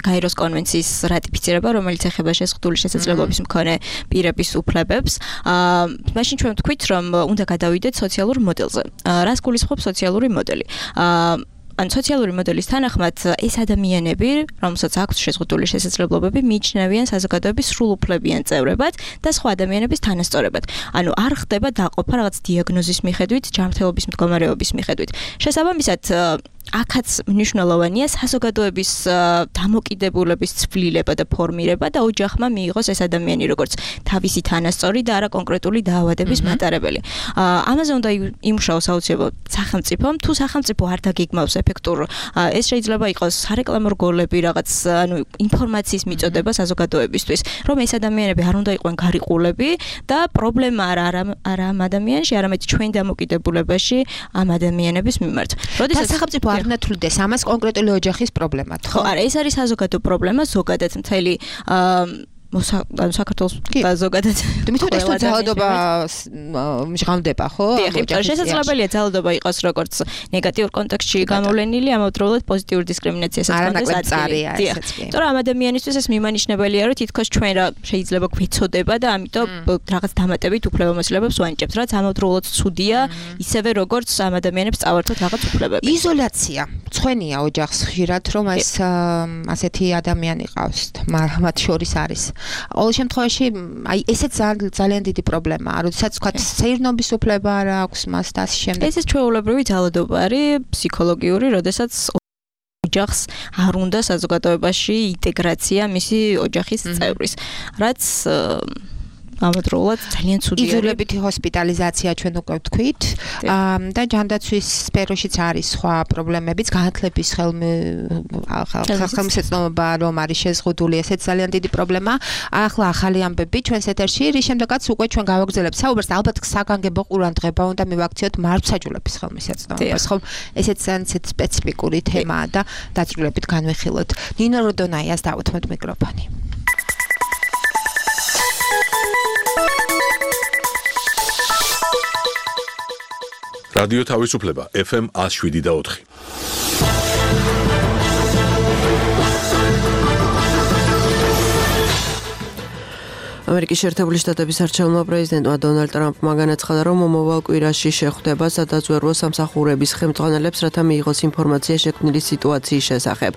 გაეროს კონვენციის რატიფიცირება, რომელიც ეხება შეზღუდული შესაძლებლობის მქონე პირების უფლებებს, აა მაშინ ჩვენ ვთქვით რომ უნდა გადავიდეთ სოციალურ მოდელზე. რას გულისხმობს სოციალური მოდელი? აა ან სოციალური მოდელის თანახმად ეს ადამიანები, რომელსაც აქვს შეზღუდული შესაძლებლობები, მიიჩნევიან საზოგადოების სრულუფლებიან წევრებად და სხვა ადამიანების თანასწორებად. ანუ არ ხდება დაყოფა რაღაც დიაგნოზის მიხედვით, ჯანმრთელობის მდგომარეობის მიხედვით. შესაბამისად აქაც მნიშვნელოვანია საზოგადოების დამოკიდებულების ცვლილება და ფორმირება და ოჯახმა მიიღოს ეს ადამიანი როგორც თავისი თანასწორი და არა კონკრეტული დაავადების მატარებელი. ამაზე უნდა იმუშაოს აუცილებლად სახელმწიფომ, თუ სახელმწიფო არ დაგიგმავს ეფექტურ, ეს შეიძლება იყოს სარეკლამო რგოლები, რაღაც ანუ ინფორმაციის მიწოდება საზოგადოებისთვის, რომ ეს ადამიანები არ უნდა იყვნენ გარიყულები და პრობლემა არა არა ამ ადამიანში, არამედ ჩვენ დამოკიდებულებაში ამ ადამიანების მიმართ. როდესაც სახელმწიფო არ ნათვლდეს ამას კონკრეტული ოჯახის პრობლემად, ხო? არა, ეს არის საზოგადო პრობლემა, ზოგადად მთელი ანუ საქართველოს და ზოგადად თუმცა ეს ძალადობა მჟღავდება, ხო? დიახ, შესაძლებელია ძალადობა იყოს როგორც ნეგატიურ კონტექსტში გამოვლენილი, ამავდროულად პოზიტიური დისკრიმინაციასაც კონდეს აწილი. დიახ. თორე ამ ადამიანისთვის ეს მიმანიშნებელია, რომ თითქოს ჩვენ რა შეიძლება გვეცოდება და ამიტომ რაღაც დამატებით უფლებამოსილებებს ვანიჭებთ, რაც ამავდროულად ცუდია, ისევე როგორც ამ ადამიანებს წავართოთ რაღაც უფლებები. იზოლაცია. მწვენია ოჯახს ხშირად, რომ ეს ასეთი ადამიანი ყავს, მათ შორის არის. ყოველ შემთხვევაში აი ესეც ძალიან დიდი პრობლემაა, როდესაც თქვა სეირნობის უფლება არ აქვს მას და ასე შემდეგ. ეს ჩვეულებრივი ძალადობა არის ფსიქოლოგიური, როდესაც ოჯახს არ უნდა საზოგადოებაში ინტეგრაცია მისი ოჯახის წევრის, რაც ამავდროულად ძალიან ცუდი არის. იზოლებითი ჰოსპიტალიზაცია ჩვენ უკვე ვთქვით და ჯანდაცვის სფეროშიც არის სხვა პრობლემებიც, განათლების ხელმისაწვდომობა რომ არის შეზღუდული, ესეც ძალიან დიდი პრობლემაა. ახლა ახალი ამბები ჩვენს ეთერში, რის შემდეგაც უკვე ჩვენ გავაგრძელებთ საუბარს და ალბათ საგანგებო ყურადღება უნდა მივაქციოთ მართლმსაჯულების ხელმისაწვდომობას, ხო? ესეც ძალიან სპეციფიკური თემაა და დაწვრილებით განვიხილოთ. ნინო როდონაიას დავუთმოთ მიკროფონი. რადიო თავისუფლება ეფ ემ one oh seven და four. ამერიკის შეერთებული შტატების არჩეულმა პრეზიდენტმა დონალდ ტრამპმა განაცხადა, რომ მომავალ კვირაში შეხვდება სადაზვერვო სამსახურების ხელმძღვანელებს, რათა მიიღოს ინფორმაცია შექმნილი სიტუაციის შესახებ.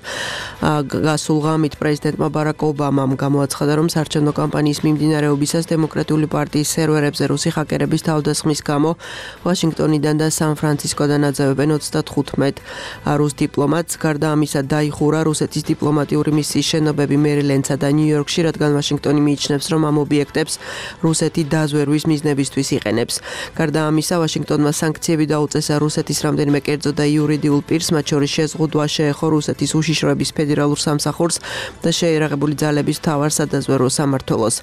გასულ ღამით პრეზიდენტმა ბარაკ ობამამ გამოაცხადა, რომ საარჩევნო კამპანიის მიმდინარეობისას დემოკრატიული პარტიის სერვერებზე რუსი ჰაკერების თავდასხმის გამო ვაშინგტონიდან და სან-ფრანცისკოდან აძევებენ ოცდათხუთმეტ რუს დიპლომატს. გარდა ამისა დაიხურა რუსეთის დიპლომატიური მისიის შენობები მერილენდსა და ნიუ-იორკში, რადგან ვაშინგტონი მიიჩნევს, რომ ამ ობიექტებს რუსეთი დაზვერვის მიზნებისთვის იყენებს. გარდა ამისა, ვაშინგტონმა სანქციები დაუწესა რუსეთის რამდენიმე კერძო და იურიდიულ პირს, მათ შორის შეზღუდვა შეეხო რუსეთის უშიშროების ფედერალურ სამსახურს და შეიარაღებული ძალების მთავარ სადაზვერვო სამმართველოს.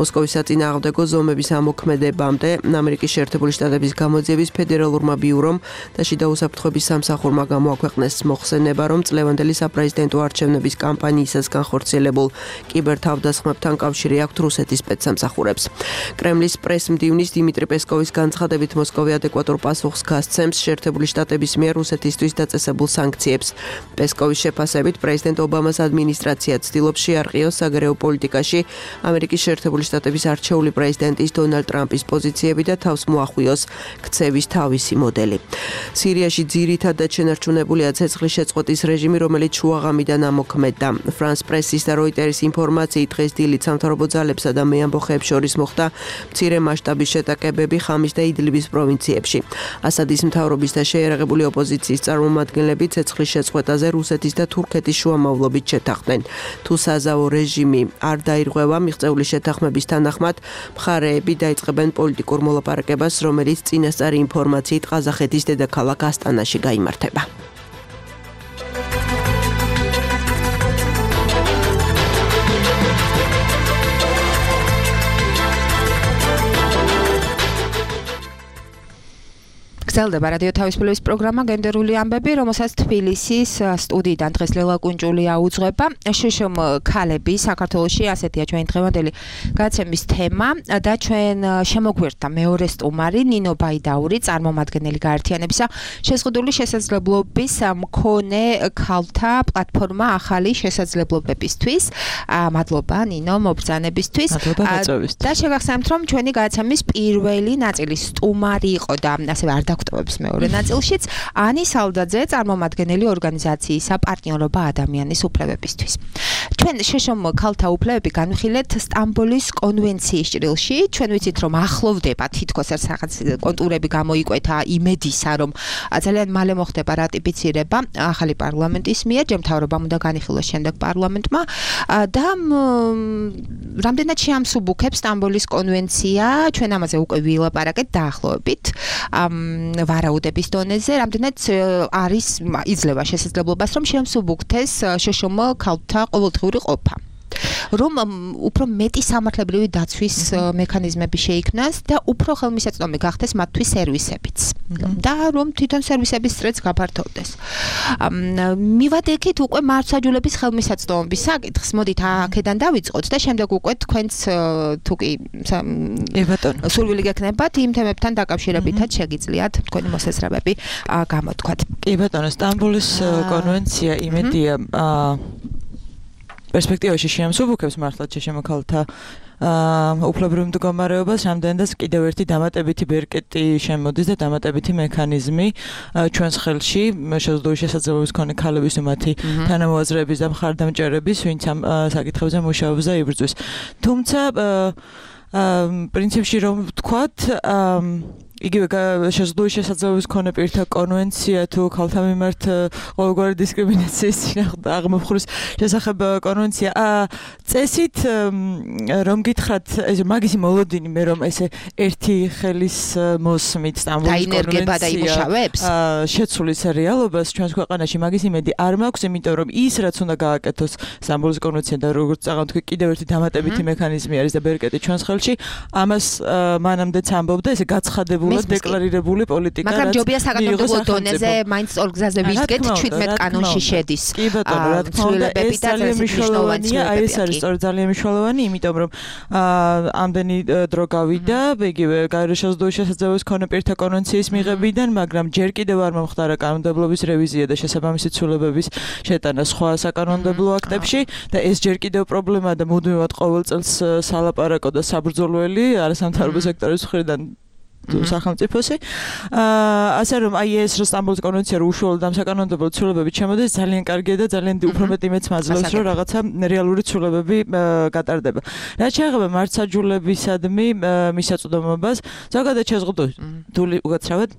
მოსკოვის საწინააღმდეგო ზომების ამოქმედებამდე ამერიკის შეერთებული შტატების გამოძიების ფედერალურმა ბიურომ და შიდა უსაფრთხოების სამსახურმა გამოაქვეყნეს მოხსენება, რომ წლევანდელი საპრეზიდენტო არჩევნების კამპანიისას განხორციელებულ კიბერთავდასხმებთან კავშირი აქვთ რუსეთის სპეცსამსახურებს. კრემლის პრესმდივნის დიმიტრი პესკოვის განცხადებით, მოსკოვი ადეკვატურ პასუხს გასცემს შეერთებული შტატების მიერ რუსეთისთვის დაწესებულ სანქციებს. პესკოვის შეფასებით, პრეზიდენტ ობამას ადმინისტრაცია ცდილობს შეარყიოს საგარეო პოლიტიკაში ამერიკის შეერთებული შტატების არჩეული პრეზიდენტის დონალდ ტრამპის პოზიციები და თავს მოახვიოს ქცევის თავისი მოდელი. სირიაში ძირითადად შენარჩუნებულია ცეცხლის შეწყვეტის რეჟიმი, რომელიც შუაღამიდან ამოქმედდა. ფრანს პრესის და როიტერის ინფორმაციით, დღეს დილით სამთავრობო ძალებსა და მეამბოხეებს შორის მოხდა მცირე მასშტაბის შეტაკებები ხამის და იდლიბის პროვინციებში. ასადის მთავრობის და შეიარაღებული ოპოზიციის წარმომადგენლები ცეცხლის შეწყვეტაზე რუსეთის და თურქეთის შუამავლობით შეთანხმდნენ. თუ საზავო რეჟიმი არ დაირღვევა მიღწეული შეთანხმების თანახმად, მხარეები დაიწყებენ პოლიტიკურ მოლაპარაკებას, რომელიც წინასწარი ინფორმაციით ყაზახეთის დედაქალაქ ასტანაში გაიმართება. გრძელდება რადიო თავისუფლების პროგრამა გენდერული ამბები, რომელსაც თბილისის სტუდიიდან დღეს ლელა კუნჭულია უძღვება. შშმ ქალები საქართველოში, ასეთია ჩვენი დღევანდელი გადაცემის თემა და ჩვენ შემოგვერთა მეორე სტუმარი ნინო ბაიდაური, წარმომადგენელი გაერთიანებისა შეზღუდული შესაძლებლობის მქონე ქალთა პლატფორმა ახალი შესაძლებლობებისთვის. მადლობა ნინო მობრძანებისთვის. და შეგახსენებთ, რომ ჩვენი გადაცემის პირველი ნაწილის სტუმარი იყო და ასევე არ დაგვტოვებს მეორე ნაწილშიც ანი სალდაძე, წარმომადგენელი ორგანიზაციისა პარტნიორობა ადამიანის უფლებებისთვის. ჩვენ შშმ ქალთა უფლებები განვიხილეთ სტამბოლის კონვენციის ჭრილში. ჩვენ ვიცით, რომ ახლოვდება თითქოს რაღაც კონტურები გამოიკვეთა იმედისა, რომ ძალიან მალე მოხდება რატიფიცირება ახალი პარლამენტის მიერ, ჯემთავრობამ უნდა განიხილოს შემდეგ პარლამენტმა და რამდენად შეამსუბუქებს სტამბოლის კონვენცია, ჩვენ ამაზე უკვე ვილაპარაკეთ დაახლოებით ვარაუდების დონეზე, რამდენად არის იძლევა შესაძლებლობას, რომ შეამსუბუქდეს შშმ ქალთა ყოველდღიური ყოფა. რომ უფრო მეტი სამართლებრივი დაცვის მექანიზმები შეიქმნას და უფრო ხელმისაწვდომი გახდეს მათთვის სერვისებიც. და რომ თვითონ სერვისების წრეც გაფართოვდეს. მივადგეთ უკვე მართლმსაჯულების ხელმისაწვდომობის საკითხს. მოდით აქედან დავიწყოთ და შემდეგ უკვე თქვენც თუ კი სურვილი გექნებათ იმ თემებთან დაკავშირებითაც შეგიძლიათ თქვენი მოსაზრებები გამოთქვათ. კი ბატონო, სტამბოლის კონვენცია იმედია პერსპექტივაში შეამსუბუქებს მართლაც შშმ ქალთა უფლებრივ მდგომარეობას, რამდენადაც კიდევ ერთი დამატებითი ბერკეტი შემოდის და დამატებითი მექანიზმი ჩვენს ხელში შეზღუდული შესაძლებლობის მქონე ქალების მათი თანამოაზრეების და მხარდამჭერების, ვინც ამ საკითხებზე მუშაობს და იბრძვის. თუმცა პრინციპში რომ ვთქვათ, იგივე შეზღუდული შესაძლებლობის მქონე პირთა კონვენცია თუ ქალთა მიმართ ყოველგვარი დისკრიმინაციის აღმოფხურის შესახებ კონვენცია წესით რომ გითხრათ ეს მაგისი მოლოდინი მე რომ ესე ერთი ხელის მოსმით სტამბოლის კონვენცია შეცვლის რეალობას ჩვენს ქვეყანაში მაგის იმედი არ მაქვს, იმიტომ რომ ის რაც უნდა გააკეთოს სტამბოლის კონვენცია და როგორც წაღავთ კიდევ ერთი დამატებითი მექანიზმი არის და ბერკეტი ჩვენს ხელში, ამას მანამდეც ამბობდა ესე გაცხადებული ოფიციალურად დეკლარირებული პოლიტიკა. მაგრამ ჯობია საკანონმდებლო დონეზე მაინც ორ გზაზე ვიდგეთ ჩვიდმეტ კანონში შედის. კი ბატონო, რა თქმა უნდა, ეს ძალიან მნიშვნელოვანია, აი ეს არის სწორედ ძალიან მნიშვნელოვანი, იმიტომ რომ ამდენი დრო გავიდა, იგივე გაეროს შეზღუდული შესაძლებლობის მქონე პირთა კონვენციის მიღებიდან, მაგრამ ჯერ კიდევ არ მომხდარა კანონმდებლობის რევიზია და შესაბამისი ცვლილებების შეტანა სხვა საკანონმდებლო აქტებში და ეს ჯერ კიდევ პრობლემაა და მუდმივად ყოველ წელს სალაპარაკო და საბრძოლველი არასამთავრობო სექტორის მხრიდან სახელმწიფოსი. ასე რომ აი ეს სტამბოლის კონვენცია რო უშუალოდ ამ საკანონმდებლო ცვლილებებით შემოდის, ძალიან კარგია და ძალიან უფრო მეტი მეც მაძლევს, რომ რაღაცა რეალური ცვლილებები გატარდება. რაც შეეხება მართლმსაჯულებისადმი მისაწვდომობას, ზოგადად შეზღუდული უკაცრავად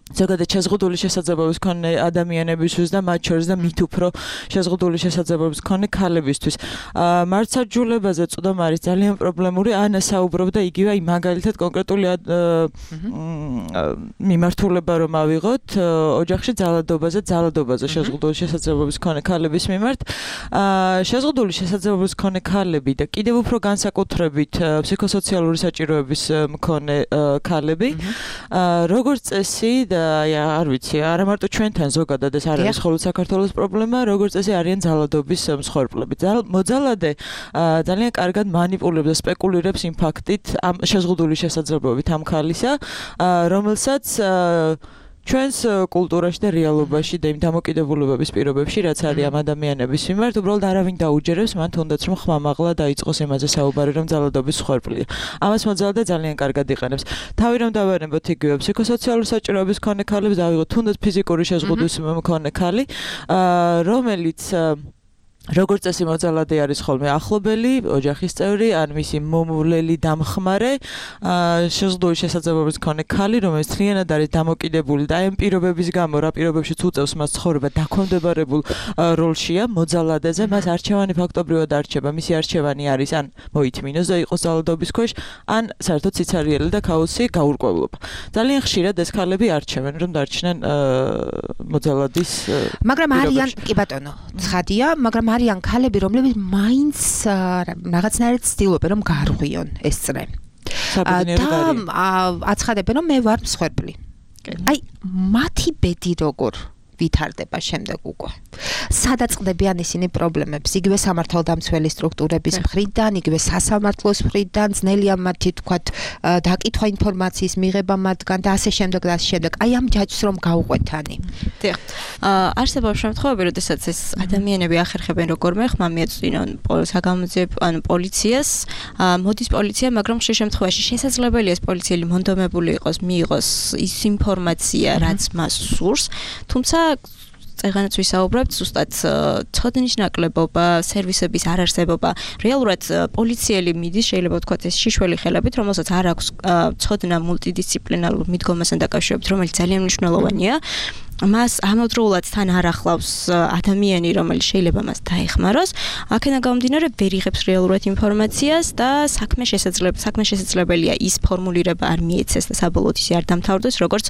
ზოგადად შეზღუდული შესაძლებლობის მქონე ადამიანებისთვის და მათ შორის და მით უფრო შეზღუდული შესაძლებლობის მქონე ქალებისთვის. მართლმსაჯულებაზე წვდომა არის ძალიან პრობლემური, ან საუბრობდა იგივე აი მაგალითად კონკრეტული მიმართულება რომ ავიღოთ ოჯახში ძალადობაზე, ძალადობაზე შეზღუდული შესაძლებლობის მქონე ქალების მიმართ. შეზღუდული შესაძლებლობის მქონე ქალები და კიდევ უფრო განსაკუთრებით ფსიქოსოციალური საჭიროების მქონე ქალები, როგორც წესი და აი არ ვიცი, არა მარტო ჩვენთან ზოგადად ეს არ არის მხოლოდ საქართველოს პრობლემა, როგორც წესი არიან ძალადობის მსხვერპლები. მოძალადე ძალიან კარგად მანიპულებს და სპეკულირებს იმ ფაქტით, ამ შეზღუდული შესაძლებლობით ამ ქალისა, რომელსაც ჩვენს კულტურაში და რეალობაში და იმ დამოკიდებულებების პირობებში, რაც არის ამ ადამიანების მიმართ, უბრალოდ არავინ დაუჯერებს მან თუნდაც რომ ხმამაღლა დაიწყოს იმაზე საუბარი, რომ ძალადობის მსხვერპლია. ამას მოძალადე ძალიან კარგად იყენებს. თავი რომ დავარნებოთ იგივე ფსიქოსოციალური საჭიროების მქონე ქალებს, დავიღოთ თუნდაც ფიზიკური შეზღუდვის მქონე ქალი, რომელიც როგორც წესი მოძალადე არის ხოლმე ახლობელი, ოჯახის წევრი, ან მისი მომვლელი დამხმარე, შეზღუდული შესაძლებლობის მქონე ქალი, რომელიც მთლიანად არის დამოკიდებული და ამ პირობების გამო, რა პირობებშიც უწევს მას ცხოვრება დაქვემდებარებულ როლშია მოძალადეზე, მას არჩევანი ფაქტობრივად არჩება, მისი არჩევანი არის ან მოითმინოს და იყოს ძალადობის ქვეშ, ან საერთოდ სიცარიელი და ქაოსი გაურკვევლობა. ძალიან ხშირად ეს ქალები არჩევენ, რომ დარჩნენ მოძალადის. მაგრამ არიან, კი ბატონო, ცხადია, მაგრამ არიან ქალები, რომლებიც მაინც რაღაცნაირად ცდილობენ რომ გარღვიონ ეს წრე. და აცხადებენ რომ მე ვარ მსხვერპლი. აი მათი ბედი როგორ ვითარდება შემდეგ უკვე. სადაწყდებიან ისინი პრობლემებს, იგივე სამართალდამცველი სტრუქტურების მხრიდან, იგივე სასამართლოს მხრიდან, ძნელია მათი თქვათ დაკითხვა ინფორმაციის მიღება მათგან და ასე შემდეგ და ასე შემდეგ. აი ამ ჯაჭვს რომ გაუყვეთანი. დიახ. არსებობს შემთხვევები, როდესაც ეს ადამიანები ახერხებენ როგორმე ხმა მიეწვინონ საგამოძიებ ან პოლიციას, მოდის პოლიცია, მაგრამ ხშირ შემთხვევაში შესაძლებელია ეს პოლიციელი მონდომებული იყოს, მიიღოს ის ინფორმაცია, რაც მას სურს, თუმცა წეგანაც ვისაუბრებთ, ზუსტად ცოდნის ნაკლებობა, სერვისების არარსებობა. რეალურად პოლიციელი მიდის, შეიძლება ვთქვათ, ეს შიშველი ხელებით, რომელსაც არ აქვს ცოდნა მულტიდისციპლინარულ მიდგომასთან დაკავშირებით, რომელიც ძალიან მნიშვნელოვანია. მას ამავდროულად თან არ ახლავს ადამიანი, რომელიც შეიძლება მას დაეხმაროს. აქედან გამომდინარე, ვერ იღებს რეალურად ინფორმაციას და საქმე შესაძლებელი, საქმე შესაძლებელია ის ფორმულირება არ მიეცეს და საბოლოოდ ისე არ დამთავრდეს, როგორც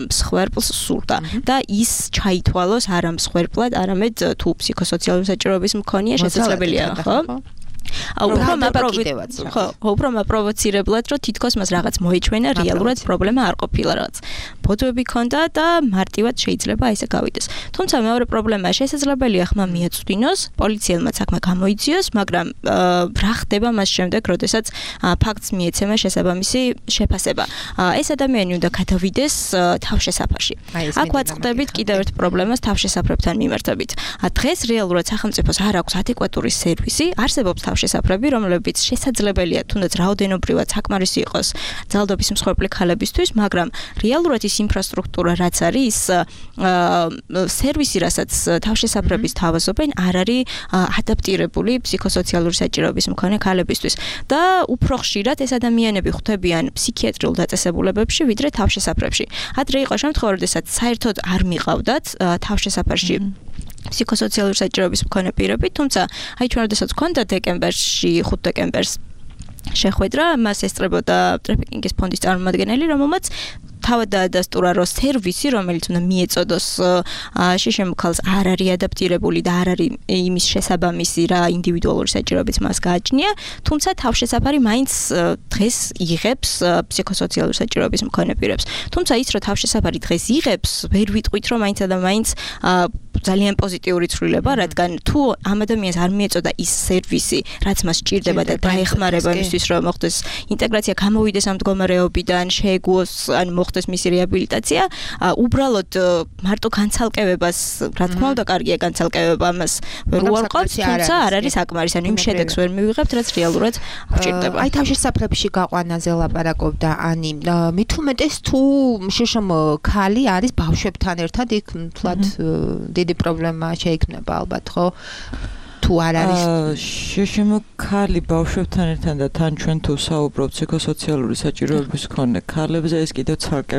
მსხვერპლს სურდა. და ის ჩაითვალოს არა მსხვერპლად, არამედ თუ ფსიქოსოციალური საჭიროების მქონეა, შესაძლებელია, ხო? უფრო მაპროვოცირებლად, ხო, უფრო მაპროვოცირებლად, რომ თითქოს მას რაღაც მოიჩვენა, რეალურად პრობლემა არ ყოფილა რაღაც. ბოდვები ქონდა და მარტივად შეიძლება ესე გავიდეს. თუმცა მეორე პრობლემაა, შესაძლებელია ხმა მიეწვდინოს, პოლიციელმა საქმე გამოიძიოს, მაგრამ რა ხდება მას შემდეგ, როდესაც ფაქტს მიეცემა შესაბამისი შეფასება. ეს ადამიანი უნდა გადავიდეს თავშესაფარში. აქ ვაწყდებით კიდევ ერთ პრობლემას თავშესაფრებთან მიმართებით. დღეს რეალურად სახელმწიფოს არ აქვს ადეკვატური სერვისი, არსებობს თავშესაფრები, რომლებიც შესაძლებელია თუნდაც რაოდენობრივად საკმარისი იყოს ძალადობის მსხვერპლი ქალებისთვის, მაგრამ რეალურად ის ინფრასტრუქტურა, რაც არის, სერვისი, რასაც თავშესაფრების თავაზობენ, არ არის ადაპტირებული ფსიქოსოციალური საჭიროების მქონე ქალებისთვის. და უფრო ხშირად ეს ადამიანები ხვდებიან ფსიქიატრიულ დაწესებულებებში, ვიდრე თავშესაფრებში. ადრე იყო შემთხვევა, როდესაც საერთოდ არ მიყავდათ თავშესაფარში ფსიქოსოციალური საჭიროების მქონე პირები, თუმცა აი ჩვენ როდესაც გვქონდა დეკემბერში, ხუთ დეკემბერს შეხვედრა, მას ესწრებოდა ტრაფიკინგის ფონდის წარმომადგენელი, რომელმაც თავად დაადასტურა, რომ სერვისი, რომელიც უნდა მიეწოდოს შიშემ ქალს, არ არის ადაპტირებული და არ არის იმის შესაბამისი რა ინდივიდუალური საჭიროებიც მას გააჩნია, თუმცა თავშესაფარი მაინც დღეს იღებს ფსიქოსოციალური საჭიროების მქონე პირებს. თუმცა ის, რომ თავშესაფარი დღეს იღებს, ვერ ვიტყვით, რომ მაინც და მაინც ძალიან პოზიტიური ცვლილება, რადგან თუ ამ ადამიანს არ მიეწოდა ის სერვისი, რაც მას სჭირდება და დაეხმარება იმისთვის, რომ მოხდეს ინტეგრაცია, გამოვიდეს ამ მდგომარეობიდან, შეეგუოს, ან მოხდეს მისი რეაბილიტაცია, უბრალოდ მარტო განცალკევებას, რა თქმა უნდა, კარგია განცალკევება, ამას ვერ უარყოფს, თუმცა არ არის საკმარის, ანუ იმ შედეგს ვერ მივიღებთ, რაც რეალურად გვჭირდება. აი თავშესაფრებში გაყვანაზე ლაპარაკობდა ანი, მით უმეტეს თუ შიშემ ქალი არის ბავშვებთან ერთად იქ თლად დიდი პრობლემა შეიქმნება ალბათ, ხო? თუ არ არის შიშემ ქალი ბავშვებთან ერთად და თან ჩვენ თუ საუბრობთ ფსიქოსოციალური საჭიროების მქონე ქალებზე, ეს კიდევ ცალკე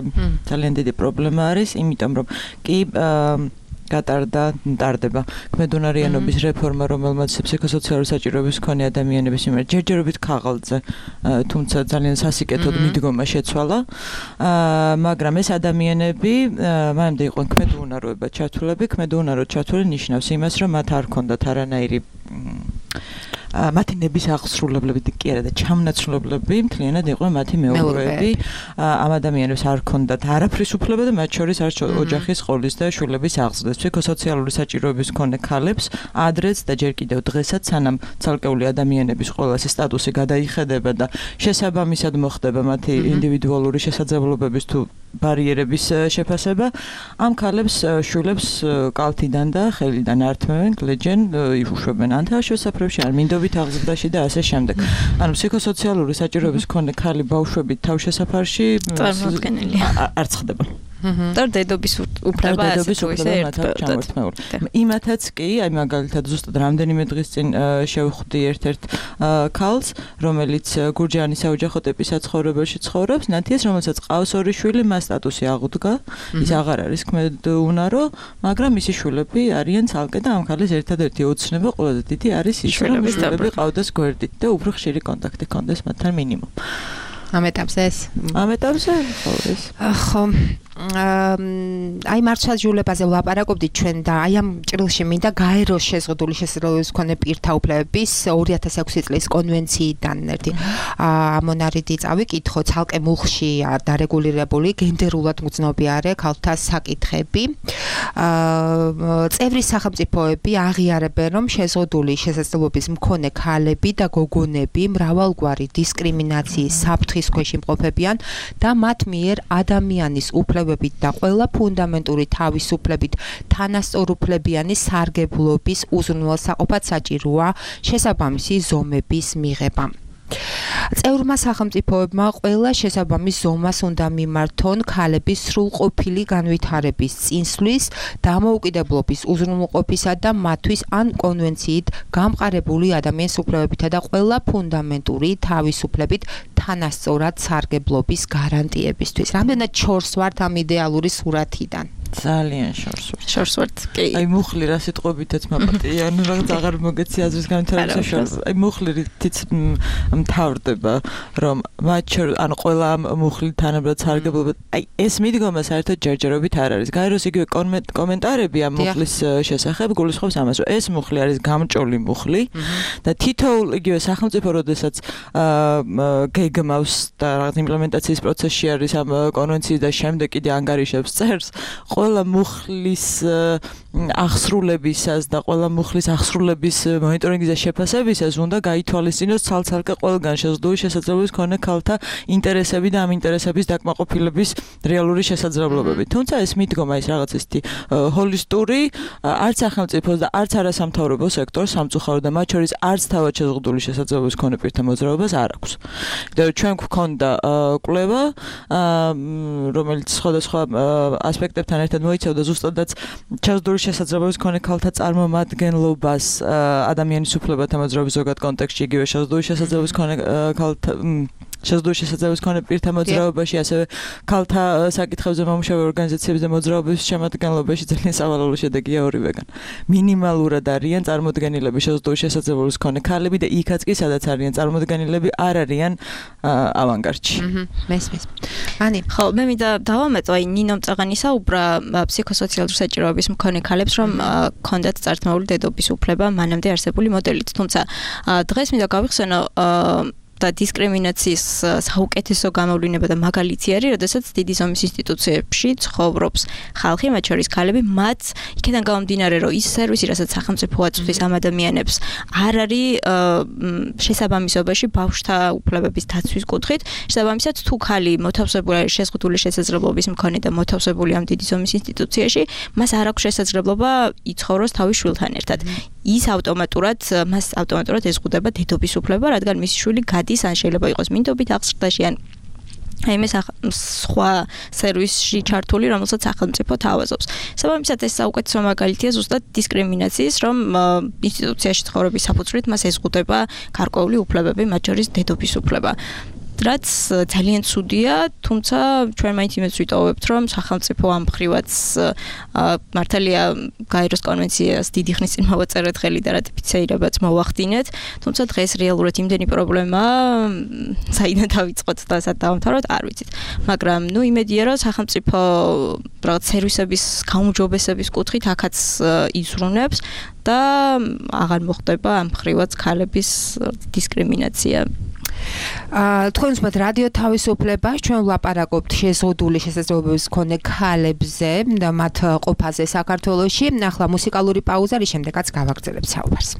ძალიან დიდი პრობლემა არის, იმიტომ რომ კი გატარდა, ტარდება ქმედუნარიანობის რეფორმა, რომელმაც ფსიქოსოციალური საჭიროების მქონე ადამიანების მიმართ ჯერჯერობით ქაღალდზე, თუმცა ძალიან სასიკეთოდ მიდგომა შეცვალა, მაგრამ ეს ადამიანები მანამდე იყვნენ ქმედუნაროებად ჩართულები, ქმედუნაროდ ჩართული ნიშნავს იმას, რომ მათ არ ჰქონდათ არანაირი მათი ნების აღსრულებლები კი არა და ჩამნაცვლებლები მთლიანად იყვნენ მათი მეუღლეები. ამ ადამიანებს არ ჰქონდათ არაფრის უფლება და მათ შორის არ ოჯახის ყოლის და შვილების აღზრდას. ფსიქოსოციალური საჭიროების მქონე ქალებს ადრეც და ჯერ კიდევ დღესაც, სანამ ცალკეული ადამიანების ყოველასი სტატუსი გადაიხედება და შესაბამისად მოხდება მათი ინდივიდუალური შესაძლებლობების თუ ბარიერების შეფასება, ამ ქალებს შვილებს კალთიდან და ხელიდან ართმევენ, გლეჯენ, იუშვებენ ან თავშესაფრებში, ან მინდობით აღზრდაში და ასე შემდეგ. ანუ ფსიქოსოციალური საჭიროების მქონე ქალი ბავშვები თავშესაფარში წარმოუდგენელია. არ ცხდება. და დედობის უფლება ასე თუ ისე ერთმანეთად. იმათაც კი, აი მაგალითად ზუსტად რამდენიმე დღის წინ შევხვდი ერთ-ერთ ქალს, რომელიც გურჯაანის საოჯახო ტიპის საცხოვრებელში ცხოვრობს, ნათიას, რომელსაც ყავს ორი შვილი, მას სტატუსი აღუდგა, ის აღარ არის ქმედუნარო, მაგრამ მისი შვილები არიან ცალკე და ამ ქალის ერთადერთი ოცნება ყველაზე დიდი არის ის, რომ შვილები ყავდეს გვერდით და უფრო ხშირი კონტაქტი ჰქონდეს მათთან მინიმუმ. ამ ეტაპზე ეს? ამ ეტაპზე ხო ეს. ხო აი მართლმსაჯულებაზე ვლაპარაკობდით ჩვენ და აი ამ ჭრილში მინდა გაეროს შეზღუდული შესაძლებლობის მქონე პირთა უფლებების ორი ათას ექვსი წლის კონვენციიდან ერთი ამონარიდი წავიკითხო, ცალკე მუხში დარეგულირებული გენდერულად მგრძნობიარე ქალთა საკითხები. წევრი სახელმწიფოები აღიარებენ, რომ შეზღუდული შესაძლებლობის მქონე ქალები და გოგონები მრავალგვარი დისკრიმინაციის საფრთხის ქვეშ იმყოფებიან და მათ მიერ ადამიანის უფლებებით და ყველა ფუნდამენტური თავისუფლებით თანასწორუფლებიანი სარგებლობის უზრუნველსაყოფად საჭიროა შესაბამისი ზომების მიღება. წევრმა სახელმწიფოებმა ყველა შესაბამის ზომას უნდა მიმართონ ქალების სრულყოფილი განვითარების წინსვლის, დამოუკიდებლობის უზრუნველყოფისა და მათთვის ან კონვენციით გამყარებული ადამიანის უფლებებითა და ყველა ფუნდამენტური თავისუფლებით თანასწორად სარგებლობის გარანტიებისთვის. რამდენად შორს ვართ ამ იდეალური სურათიდან? ძალიან შორს ვართ. შორს ვართ, კი. აი მუხლი რა სიტყვებითაც მაპატია, ანუ რაღაც აღარ მოგეცი აზრის განვითარების შორს. აი მუხლითიც მთავრდება, რომ მათ შორის, ანუ ყველა მუხლი თანაბრად სარგებლობა. აი ეს მიდგომა საერთოდ ჯერჯერობით არ არის. გაეროს იგივე კომენტარები ამ მუხლის შესახებ გულისხმობს ამას, რომ ეს მუხლი არის გამჭოლი მუხლი და თითოეულ იგივე სახელმწიფო, როდესაც გეგმავს და რაღაც იმპლემენტაციის პროცესში არის ამ კონვენციის და შემდეგ კიდე ანგარიშებს წერს, ყველა მუხლის აღსრულებისას და ყველა მუხლის აღსრულების მონიტორინგის და შეფასებისას უნდა გაითვალისწინოს ცალ-ცალკე ყველგან შეზღუდული შესაძლებლობის მქონე ქალთა ინტერესები და ამ ინტერესების დაკმაყოფილების რეალური შესაძლებლობები. თუმცა ეს მიდგომა ის რაღაც ისეთი ჰოლისტური, არც სახელმწიფოს და არც არასამთავრობო სექტორს სამწუხაროდ და მათ შორის არც თავად შეზღუდული შესაძლებლობის მქონე პირთა მოძრაობას არ აქვს. და ჩვენ გვქონდა კვლევა, რომელიც სხვადასხვა ასპექტებთან ერთად მოიცავდა ზუსტადაც შეზღუდული შესაძლებლობის მქონე ქალთა წარმომადგენლობას ადამიანის უფლებათა მოძრაობის ზოგად კონტექსტში, იგივე შეზღუდული შესაძლებლობის მქონე ქალთა შეზღუდული შესაძლებლობის მქონე პირთა მოძრაობაში, ასევე ქალთა საკითხებზე მომუშავე ორგანიზაციების და მოძრაობების შემადგენლობაში ძალიან სავალალო შედეგია ორივეგან. მინიმალურად არიან წარმოდგენილები შეზღუდული შესაძლებლობის მქონე ქალები და იქაც კი სადაც არიან წარმოდგენილები არ არიან ავანგარდში. მესმის. ანი, ხო, მე მინდა დავამეტო, აი ნინომ წაღანი საუბრა ფსიქოსოციალური საჭიროების მქონე ქალებს, რომ ქონდათ წართმეული დედობის უფლება მანამდე არსებული მოდელით. თუმცა დღეს მინდა გავიხსენო და დისკრიმინაციის საუკეთესო გამოვლინება და მაგალითი არის, როდესაც დიდი ზომის ინსტიტუციებში ცხოვრობს ხალხი, მათ შორის ქალები, მათ იქიდან გამომდინარე, რომ ის სერვისი, რასაც სახელმწიფო აწვდის ამ ადამიანებს, არ არის შესაბამისობაში ბავშვთა უფლებების დაცვის კუთხით. შესაბამისად, თუ ქალი მოთავსებული არის შეზღუდული შესაძლებლობის მქონე და მოთავსებული ამ დიდი ზომის ინსტიტუციაში, მას არ აქვს შესაძლებლობა იცხოვროს თავის შვილთან ერთად. ის ავტომატურად მას ავტომატურად ეზღუდება დედობის უფლება, რადგან მისი შვილი გადის ან შეიძლება იყოს მინდობით აღზრდაში ან აი მე სხვა სერვისში ჩართული, რომელსაც სახელმწიფო თავაზობს. საბამისად ეს საუკეთესო მაგალითია ზუსტად დისკრიმინაციის, რომ ინსტიტუციაში ცხოვრების საფუძვლით მას ეზღუდება გარკვეული უფლებები, მათ შორის დედობის უფლება. რაც ძალიან ცუდია, თუმცა ჩვენ მაინც იმედს ვიტოვებთ, რომ სახელმწიფო ამ მხრივაც მართალია გაეროს კონვენციას დიდი ხნის წინ მოვაწერეთ ხელი და რატიფიცირებაც მოვახდინეთ, თუმცა დღეს რეალურად იმდენი პრობლემა საიდან დავიწყოთ და სად დავამთავროთ, არ ვიცით. მაგრამ ნუ იმედია, რომ სახელმწიფო რაღაც სერვისების გაუმჯობესების კუთხით აქაც იზრუნებს და აღარ მოხდება ამ მხრივაც ქალების დისკრიმინაცია. აა თქვენ ვსმენთ რადიო თავისუფლება, ჩვენ ვლაპარაკობთ შეზღუდული შესაძლებლობების მქონე ქალებზე და მათ ყოფაზე საქართველოში. ახლა მუსიკალური პაუზა, რის შემდეგაც გავაგრძელებთ საუბარს.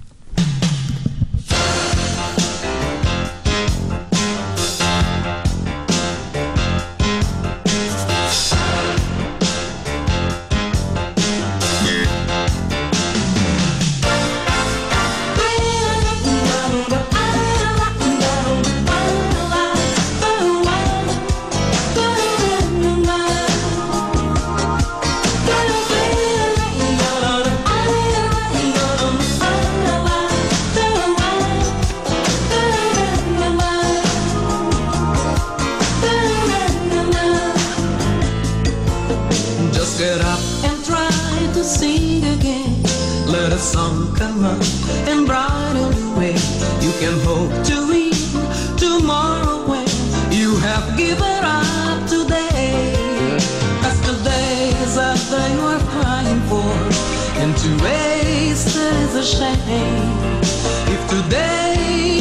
Song come up and brighten the way you can hope to read tomorrow when you have given up today. That's the days that they were crying for, and to waste it is a shame. If today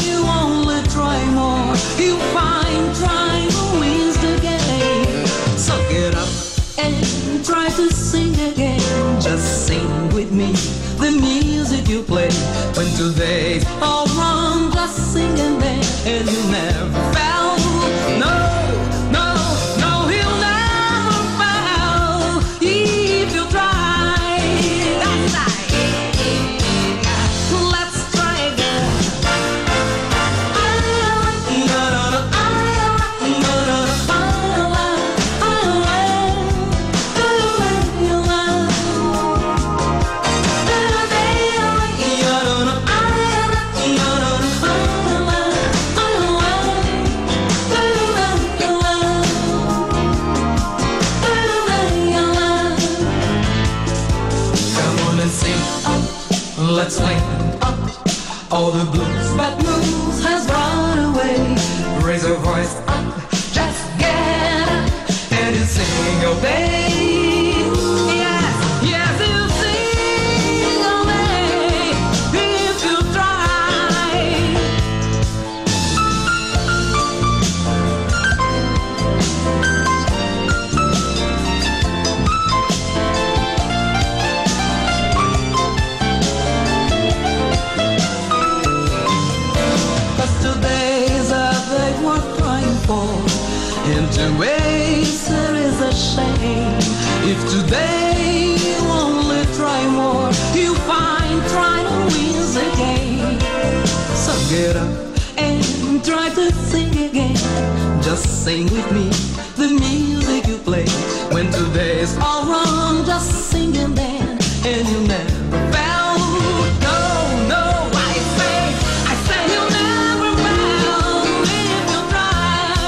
you only try more, you find trying wins the game. So get up and try to sing again. Just sing with me the music you play. When today's all wrong, just sing and dance, and you never fail. No, no, no, he'll never fail if you try. That's right. Let's try again. No, no, no, no, no, let's swing up. All the blues, bad news has run away. Raise your voice up, just get up, and you sing your day. Yes, yes, you sing all day if you try. And to waste it is a shame. If today you only try more, you find trying to win the game. So get up and try to sing again. Just sing with me the music you play. When today's all wrong, just sing and dance, and you'll never fail. No, no, I say, I say you'll never fail if you try.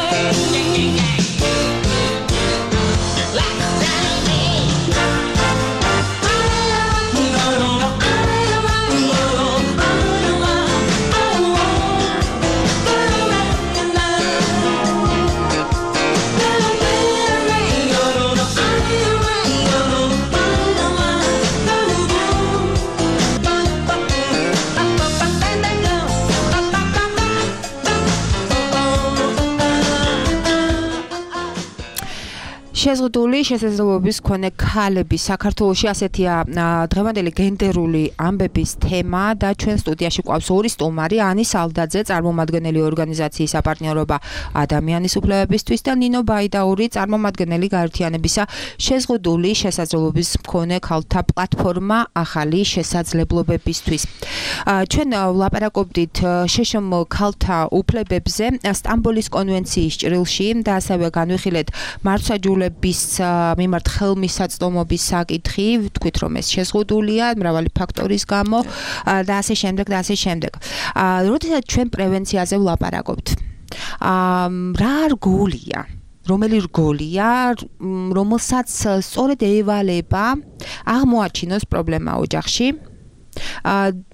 შეზღუდული შესაძლებლობის მქონე ქალების საქართველოში ასეთია დღევანდელი გენდერული ამბების თემა და ჩვენ სტუდიაში გვყავს ორი სტუმარი, ანი სალდაძე, წარმომადგენელი ორგანიზაციის საპარტნიორობა ადამიანის უფლებებისთვის და ნინო ბაიდაური, წარმომადგენელი გაერთიანებისა შეზღუდული შესაძლებლობის მქონე ქალთა პლატფორმა ახალი შესაძლებლობებისთვის. ჩვენ ვლაპარაკობდით შეშმ ქალთა უფლებებზე სტამბოლის კონვენციის ჭრილში და ასევე განვიხილეთ მართლმსაჯულების მიმართ ხელმისაწვდომობის საკითხი, ვთქვით რომ ეს შეზღუდულია მრავალი ფაქტორის გამო და ასე შემდეგ და ასე შემდეგ. როდესაც ჩვენ პრევენციაზე ვლაპარაკობთ, რა რგოლია? რომელი რგოლია, რომელსაც სწორედ ევალება აღმოაჩინოს პრობლემა ოჯახში?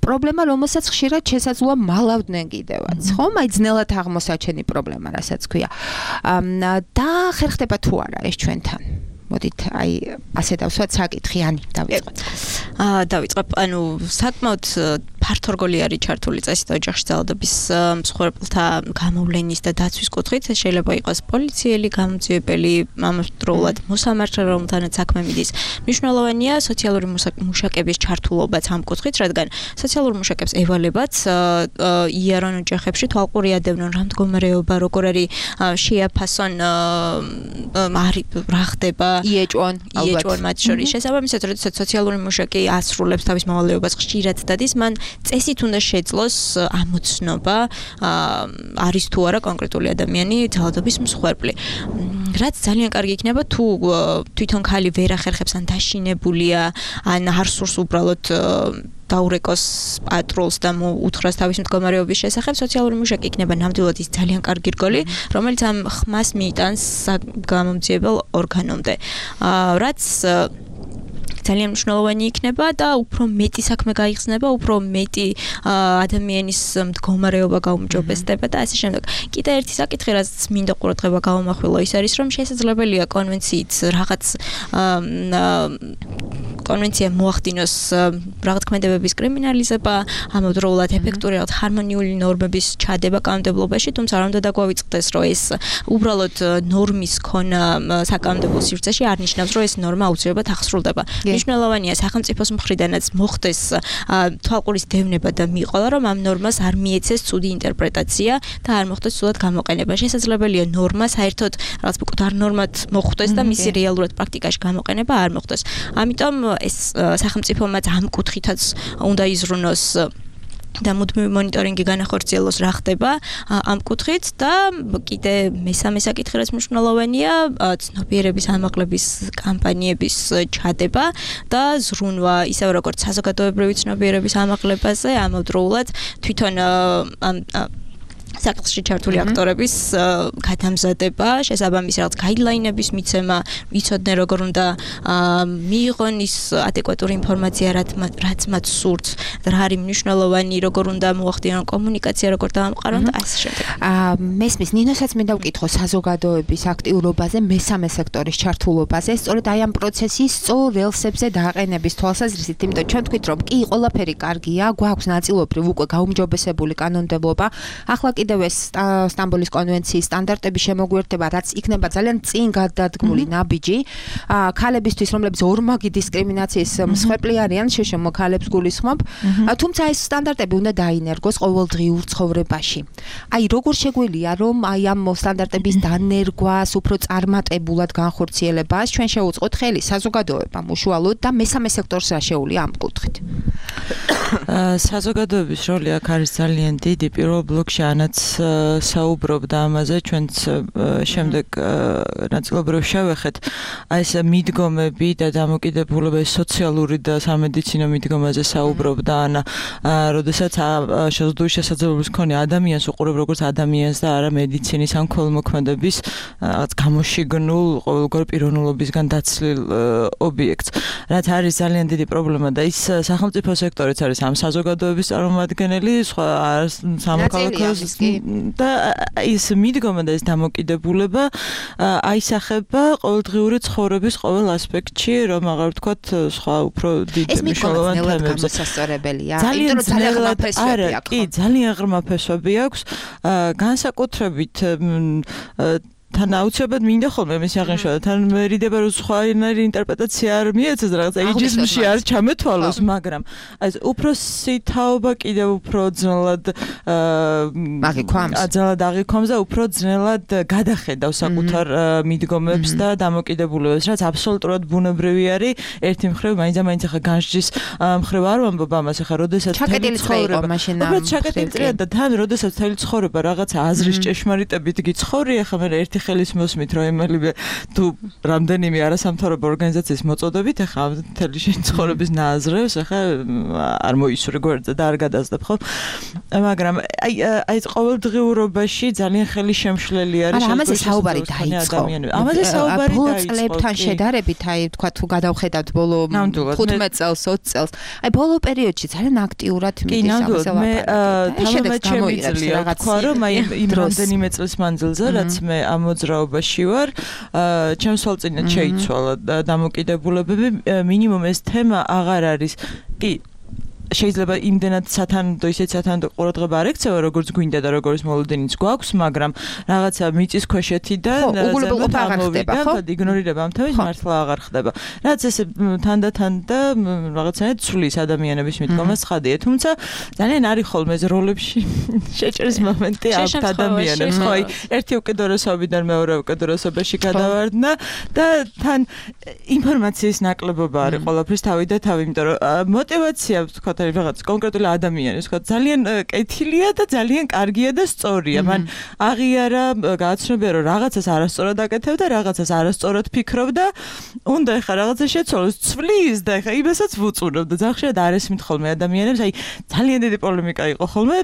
პრობლემა, რომელსაც ხშირად შესაძლოა მალავდნენ კიდევაც, ხო? აი ძნელად აღმოსაჩენი პრობლემა, რასაც ქვია. და ხერხდება თუ არა ეს ჩვენთან? მოდით, აი, ასე დავსვათ საკითხი, ანი, დავიწყოთ. აა, დავიწყებ, ანუ საკმაოდ ფართო რგოლი არის ჩართული წესით ოჯახში ძალადობის მსხვერპლთა გამოვლენის და დაცვის კუთხით. ეს შეიძლება იყოს პოლიციელი, გამოძიებელი, ამავდროულად მოსამართლე, რომელთანაც საქმე მიდის. მნიშვნელოვანია სოციალური მუშაკების ჩართულობაც ამ კუთხით, რადგან სოციალურ მუშაკებს ევალებათ იარონ ოჯახებში თვალყურიადევნონ რა მდგომარეობა, როგორ არის შეაფასონ რა ხდება იეჭვონ, იეჭვონ მათ შორის. შესაბამისად, როდესაც სოციალური მუშაკი ასრულებს თავის მოვალეობას ხშირად დადის, მან წესით უნდა შეძლოს ამოცნობა, არის თუ არა კონკრეტული ადამიანი ძალადობის მსხვერპლი. რაც ძალიან კარგი იქნება თუ თვითონ ქალი ვერ ახერხებს ან დაშინებულია, ან არ სურს უბრალოდ დაურეკოს პატრულს და უთხრას თავის მდგომარეობის შესახებ, სოციალური მუშაკი იქნება ნამდვილად ის ძალიან კარგი რგოლი, რომელიც ამ ხმას მიიტანს გამომძიებელ ორგანომდე. რაც ძალიან მნიშვნელოვანი იქნება და უფრო მეტი საქმე გაიხსნება, უფრო მეტი ადამიანის მდგომარეობა გაუმჯობესდება და ასე შემდეგ. კიდე ერთი საკითხი, რაც მინდა ყურადღება გავამახვილო, ის არის, რომ შესაძლებელია კონვენციით რაღაც კონვენცია მოახდინოს რაღაც ქმედებების კრიმინალიზება, ამავდროულად ეფექტური რაღაც ჰარმონიული ნორმების ჩადება კანონმდებლობაში, თუმცა არ უნდა დაგვავიწყდეს, რომ ეს უბრალოდ ნორმის ქონა საკანონმდებლო სივრცეში არ ნიშნავს, რომ ეს ნორმა აუცილებლად აღსრულდება. მნიშვნელოვანია სახელმწიფოს მხრიდანაც მოხდეს თვალყურის დევნება და მიყოლა, რომ ამ ნორმას არ მიეცეს ცუდი ინტერპრეტაცია და არ მოხდეს ცუდად გამოყენება. შესაძლებელია ნორმა საერთოდ რაღაც მკვდარ ნორმად მოხდეს და მისი რეალურად პრაქტიკაში გამოყენება არ მოხდეს. ამიტომ ეს სახელმწიფომაც ამ კუთხითაც უნდა იზრუნოს და მუდმივი მონიტორინგი განახორციელოს რა ხდება ამ კუთხით და კიდე მესამე საკითხი რაც მნიშვნელოვანია ცნობიერების ამაღლების კამპანიების ჩადება და ზრუნვა ისევ როგორც საზოგადოებრივი ცნობიერების ამაღლებაზე ამავდროულად თვითონ ამ საკითხში ჩართული აქტორების გადამზადება, შესაბამისი რაღაც გაიდლაინების მიცემა, ვიცოდნენ როგორ უნდა მიიღონ ის ადეკვატური ინფორმაცია, რაც მათ სურთ, რა არის მნიშვნელოვანი, როგორ უნდა მოახდინონ კომუნიკაცია, როგორ დაამყარონ და ასე შემდეგ. მესმის ნინოსაც მინდა ვკითხო საზოგადოების აქტიურობაზე, მესამე სექტორის ჩართულობაზე, სწორედ აი ამ პროცესის სწორ რელსებზე დააყენების თვალსაზრისით, იმიტომ ჩვენ თქვით რომ კი ყველაფერი კარგია, გვაქვს ნაწილობრივ უკვე გაუმჯობესებული კანონმდებლობა, ახლა კიდევ ეს სტამბოლის კონვენციის სტანდარტების შემოგვიერთება, რაც იქნება ძალიან წინ გადადგმული ნაბიჯი ქალებისთვის, რომლებიც ორმაგი დისკრიმინაციის მსხვერპლი არიან, შეშმო ქალებს გულისხმობ, თუმცა ეს სტანდარტები უნდა დაინერგოს ყოველდღიურ ცხოვრებაში. აი როგორ შეგვიძლია რომ აი ამ სტანდარტების დანერგვას, უფრო წარმატებულად განხორციელებას ჩვენ შევუწყოთ ხელი საზოგადოებამ უშუალოდ და მესამე სექტორს რა შეუძლია ამ კუთხით. საზოგადოების როლი აქ არის ძალიან დიდი. პირველ ბლოკში ანაც საუბრობდა ამაზე, ჩვენც შემდეგ ნაწილობრივ შევეხეთ აი ეს მიდგომები და დამოკიდებულება სოციალური და სამედიცინო მიდგომაზე საუბრობდა ანა, როდესაც შეზღუდული შესაძლებლობის მქონე ადამიანს უყურებ როგორც ადამიანს და არა მედიცინის ან ქველმოქმედების რაღაც გამოშიგნულ ყოველგვარ პიროვნულობისგან დაცლილ ობიექტს, რაც არის ძალიან დიდი პრობლემა და ის სახელმწიფო სექტორიც არის ამ საზოგადოების წარმომადგენელი, სხვა სამოქალაქოს და ის მიდგომა და ეს დამოკიდებულება აისახება ყოველდღიური ცხოვრების ყოველ ასპექტში, რომ აღარ ვთქვათ სხვა უფრო დიდ მნიშვნელოვან თემებზე. ძალიან ძნელად არა, კი, ძალიან ღრმა ფესვები აქვს, განსაკუთრებით თან აუცილებლად მინდა ხოლმე მის აღნიშნა და თან მერიდება რომ სხვაგვარი ინტერპრეტაცია არ მიეცეს რაღაცა იჯიზმში არ ჩამეთვალოს, მაგრამ აი უფროსი თაობა კიდევ უფრო ძნელად აძალად აღიქვამს და უფრო ძნელად გადახედავს საკუთარ მიდგომებს და დამოკიდებულებებს, რაც აბსოლუტურად ბუნებრივი არის. ერთი მხრივ მაინც და მაინც ახლა განსჯის მხრივ არ ვამბობ ამას, ახლა როდესაც ჩაკეტილი იყო მაშინ ამ ჩაკეტილი წრეა და თან როდესაც თელი ცხოვრება რაღაცა აზრის ჭეშმარიტებით გიცხოვრი, ახლა მე ერთი ხელის მოსმით რომ ემელიბე თუ რამდენიმე არასამთავრობო ორგანიზაციის მოწოდებით, ახლა თელი შენ ცხოვრების ნაზრებს ახლა არ მოისურვე გვერდზე და არ გადაასდებ ხო? მაგრამ აი აი ყოველდღიურობაში ძალიან ხელი შემშლელი არის. არა, ამაზე საუბარი დაიწყო. ამაზე საუბარი დაიწყო. ბოლო წლებთან შედარებით, აი თქვა თუ გადავხედავთ ბოლო ხუთმეტ წელს, ოცი წელს, აი ბოლო პერიოდში ძალიან აქტიურად მიდის ამაზე ლაპარაკი. თამამად შემიძლია თქვა რომ აი იმ რამდენიმე წლის მანძილზე, რაც მე ამ მოძრაობაში ვარ, ჩემს ვალწინად შეიცვალა დამოკიდებულებები, მინიმუმ ეს თემა აღარ არის. კი შეიძლება იმდენად სათანადო ისეთ სათანადო ყურადღება არ ექცევა როგორც გვინდა და როგორც მოლოდინიც გვაქვს, მაგრამ რაღაცა მიწის ქვეშეთი და უგულებელყოფა აღარ ხდება, ხო? იგნორირება ამ თემის მართლა აღარ ხდება. რაც ესე თანდათან და რაღაცნაირად ცვლის ადამიანების მიდგომას ცხადია, თუმცა ძალიან არის ხოლმე ეს როლებში შეჭრის მომენტი ამ ადამიანებს, ხო? აი ერთი უკიდურესობიდან მეორე უკიდურესობაში გადავარდნა და თან ინფორმაციის ნაკლებობა არის ყველაფრის თავი და თავი, იმიტომ რომ мотиваცია თქვა რაღაც კონკრეტული ადამიანის თქვა ძალიან კეთილია და ძალიან კარგია და სწორია. მან აღიარა გააცნობია რომ რაღაცას არასწორად აკეთებდა, რაღაცას არასწორად ფიქრობდა, უნდა ეხა რაღაცა შეცვალოს, ცვლის და ეხა იმასაც ვუწურებ და ზახშად არ ესმით ხოლმე ადამიანებს, აი ძალიან დიდი პოლემიკა იყო ხოლმე,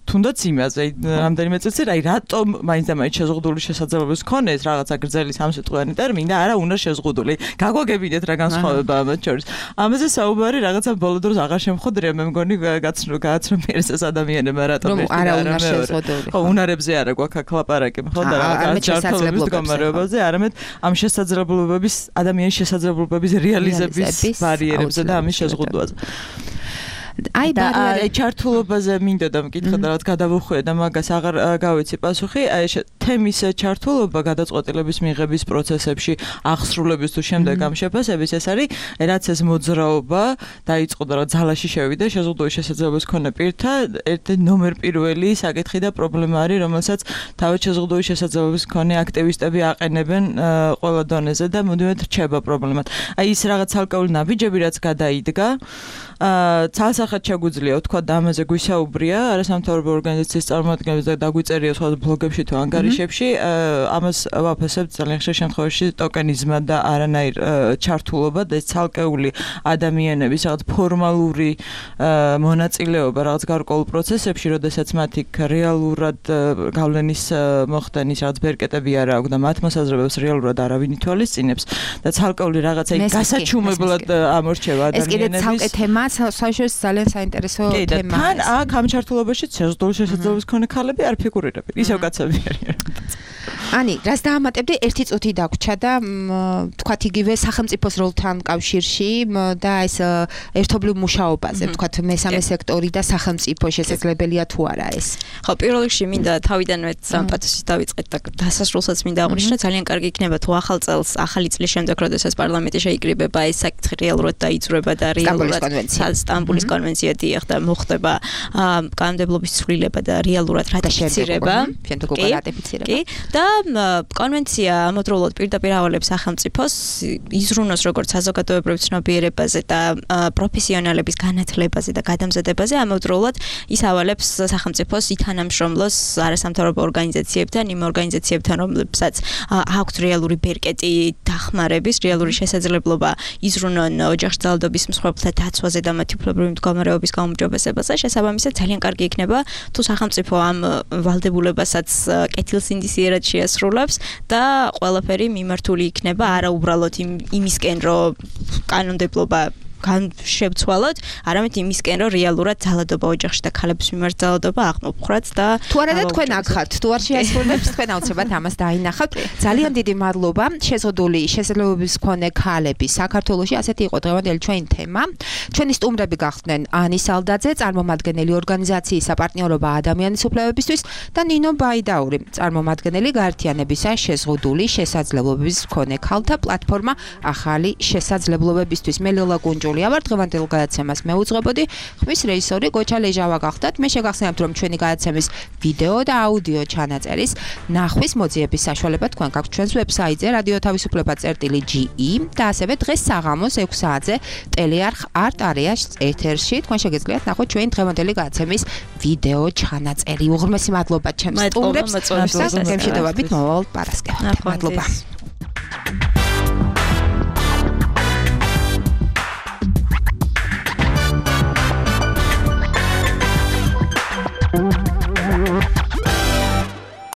თუნდაც იმაზე, აი რამდენიმე წელიწად, აი რატომ მაინც და მაინც შეზღუდული შესაძლებლობის მქონე ეს რაღაცა გრძელი სამსიტყვიანი ტერმინი და არა უნდა შეზღუდული. გაგვაგებინეთ რა განსხვავება ამათ შორის. ამაზე საუბარი რაღაცა ბოლო დროს აღარ შემხო ხოდრია მე მგონი გაცნო გააცნობიერეს ეს ადამიანებმა რატომ ერთი არა უნდა შეზღუდული. ხო, უნარებზე არა გვაქვს აქ ლაპარაკი, ხო და რაღაც ჯანმრთელობის მდგომარეობაზე, არამედ ამ შესაძლებლობების ადამიანის შესაძლებლობების რეალიზების ბარიერებზე და ამის შეზღუდვაზე. აი და ჩართულობაზე მინდოდა მკითხა და რაც გადავუხვია და მაგას აღარ გავიცი პასუხი. აი თემის ჩართულობა გადაწყვეტილების მიღების პროცესებში, აღსრულების თუ შემდეგ ამ შეფასების ეს არის, რაც ეს მოძრაობა დაიწყო და რა ძალაში შევიდა, შეზღუდული შესაძლებლობის მქონე პირთა ერთი ნომერ პირველი საკითხი და პრობლემა არის, რომელსაც თავად შეზღუდული შესაძლებლობის მქონე აქტივისტები აყენებენ ყველა დონეზე და მუდმივად რჩება პრობლემად. აი ის რაღაც ცალკეული ნაბიჯები რაც გადაიდგა, აა ცალსახად შეგვიძლია ვთქვა და ამაზე გვისაუბრია არასამთავრობო ორგანიზაციის წარმომადგენლებს და დაგვიწერია სხვა ბლოგებში თუ ანგარიშებში, ამას ვაფასებთ ძალიან ხშირ შემთხვევაში ტოკენიზმა და არანაირ ჩართულობა და ცალკეული ადამიანების რაღაც ფორმალური მონაწილეობა რაღაც გარკვეულ პროცესებში, როდესაც მათ იქ რეალურად გავლენის მოხდენის რაღაც ბერკეტები არ აქვს და მათ მოსაზრებებს რეალურად არავინ ითვალისწინებს და ცალკეული რაღაცა იქ გასაჩუმებლად ამორჩევა ადამიანების. ეს კიდე ცალკე თემა საშუალო ძალიან საინტერესო თემაა. თან აქ ამ ჩართულობაში შეზღუდული შესაძლებლობის მქონე ქალები არ ფიგურირებენ. ისევ კაცები არიან. ანი, რას დაამატებდი? ერთი წუთი დაგვრჩა და თქვათ იგივე სახელმწიფოს როლთან კავშირში და ეს ერთობლივ მუშაობაზე, თქვათ მესამე სექტორი და სახელმწიფო შესაძლებელია თუ არა ეს. ხო, პირველ რიგში მინდა თავიდანვე სამპათოსით დავიწყეთ და დასასრულსაც მინდა აღვნიშნო, ძალიან კარგი იქნება თუ ახალ წელს, ახალი წლის შემდეგ, როდესაც პარლამენტი შეიკრიბება, ეს საკითხი რეალურად დაიძვრება და რეალურად სტამბულის კონვენცია დიახ და მოხდება კანონმდებლობის ცვლილება და რეალურად რატიფიცირება. შემდეგ უკვე რატიფიცირება. კი, და კონვენცია ამავდროულად პირდაპირ ავალებს სახელმწიფოს იზრუნოს როგორც საზოგადოებრივ ცნობიერებაზე და პროფესიონალების განათლებაზე და გადამზადებაზე, ამავდროულად ის ავალებს სახელმწიფოს ითანამშრომლოს არასამთავრობო ორგანიზაციებთან, იმ ორგანიზაციებთან, რომლებსაც აქვთ რეალური ბერკეტი დახმარების, რეალური შესაძლებლობა იზრუნონ ოჯახში ძალადობის მსხვერპლთა დაცვაზე და მათი უფლებრივი მდგომარეობის გაუმჯობესებაზე. შესაბამისად, ძალიან კარგი იქნება თუ სახელმწიფო ამ ვალდებულებასაც კეთილსინდისიერად შეასრულებს და ყველაფერი მიმართული იქნება არა უბრალოდ იმისკენ, რომ კანონმდებლობა განშევცვალოთ, არამედ იმისკენ, რომ რეალურად ძალადობა ოჯახში და ქალების მიმართ ძალადობა აღმოფხრათ და თუ არა და თქვენ აქ ხართ, თუ არ შეასრულებს თქვენ აუცილებლად ამას დაინახავთ. ძალიან დიდი მადლობა. შეზღუდული შესაძლებლობის მქონე ქალები საქართველოში, ასეთი იყო დღევანდელი ჩვენი თემა. ჩვენი სტუმრები გახდნენ ანი სალდაძე, წარმომადგენელი ორგანიზაციის საპარტნიორობა ადამიანის უფლებებისთვის და ნინო ბაიდაური, წარმომადგენელი გაერთიანებისა შეზღუდული შესაძლებლობების მქონე ქალთა პლატფორმა ახალი შესაძლებლობებისთვის. მე ლელა კუნჯულია ვარ, დღევანდელ გადაცემას მე უძღვებოდი. ხმის რეჟისორი გოჩა ლეჟავა გახდათ. მე შეგახსენებთ, რომ ჩვენი გადაცემის ვიდეო და აუდიო ჩანაწერის ნახვის მოძიების საშუალება თქვენ გაქვთ ჩვენს ვებსაიტზე რადიო თავისუფლება წერტილი ჯი ი და ასევე დღეს საღამოს ექვს საათზე ტელეარხ არტ არეას ეთერში თქვენ შეგიძლიათ ნახოთ ჩვენი დღევანდელი გადაცემის ვიდეო ჩანაწერი. უღრმესი მადლობა ჩემს სტუმრებს. მადლობა. გემშვიდობებით მოვალ პარასკევამდე. მადლობა.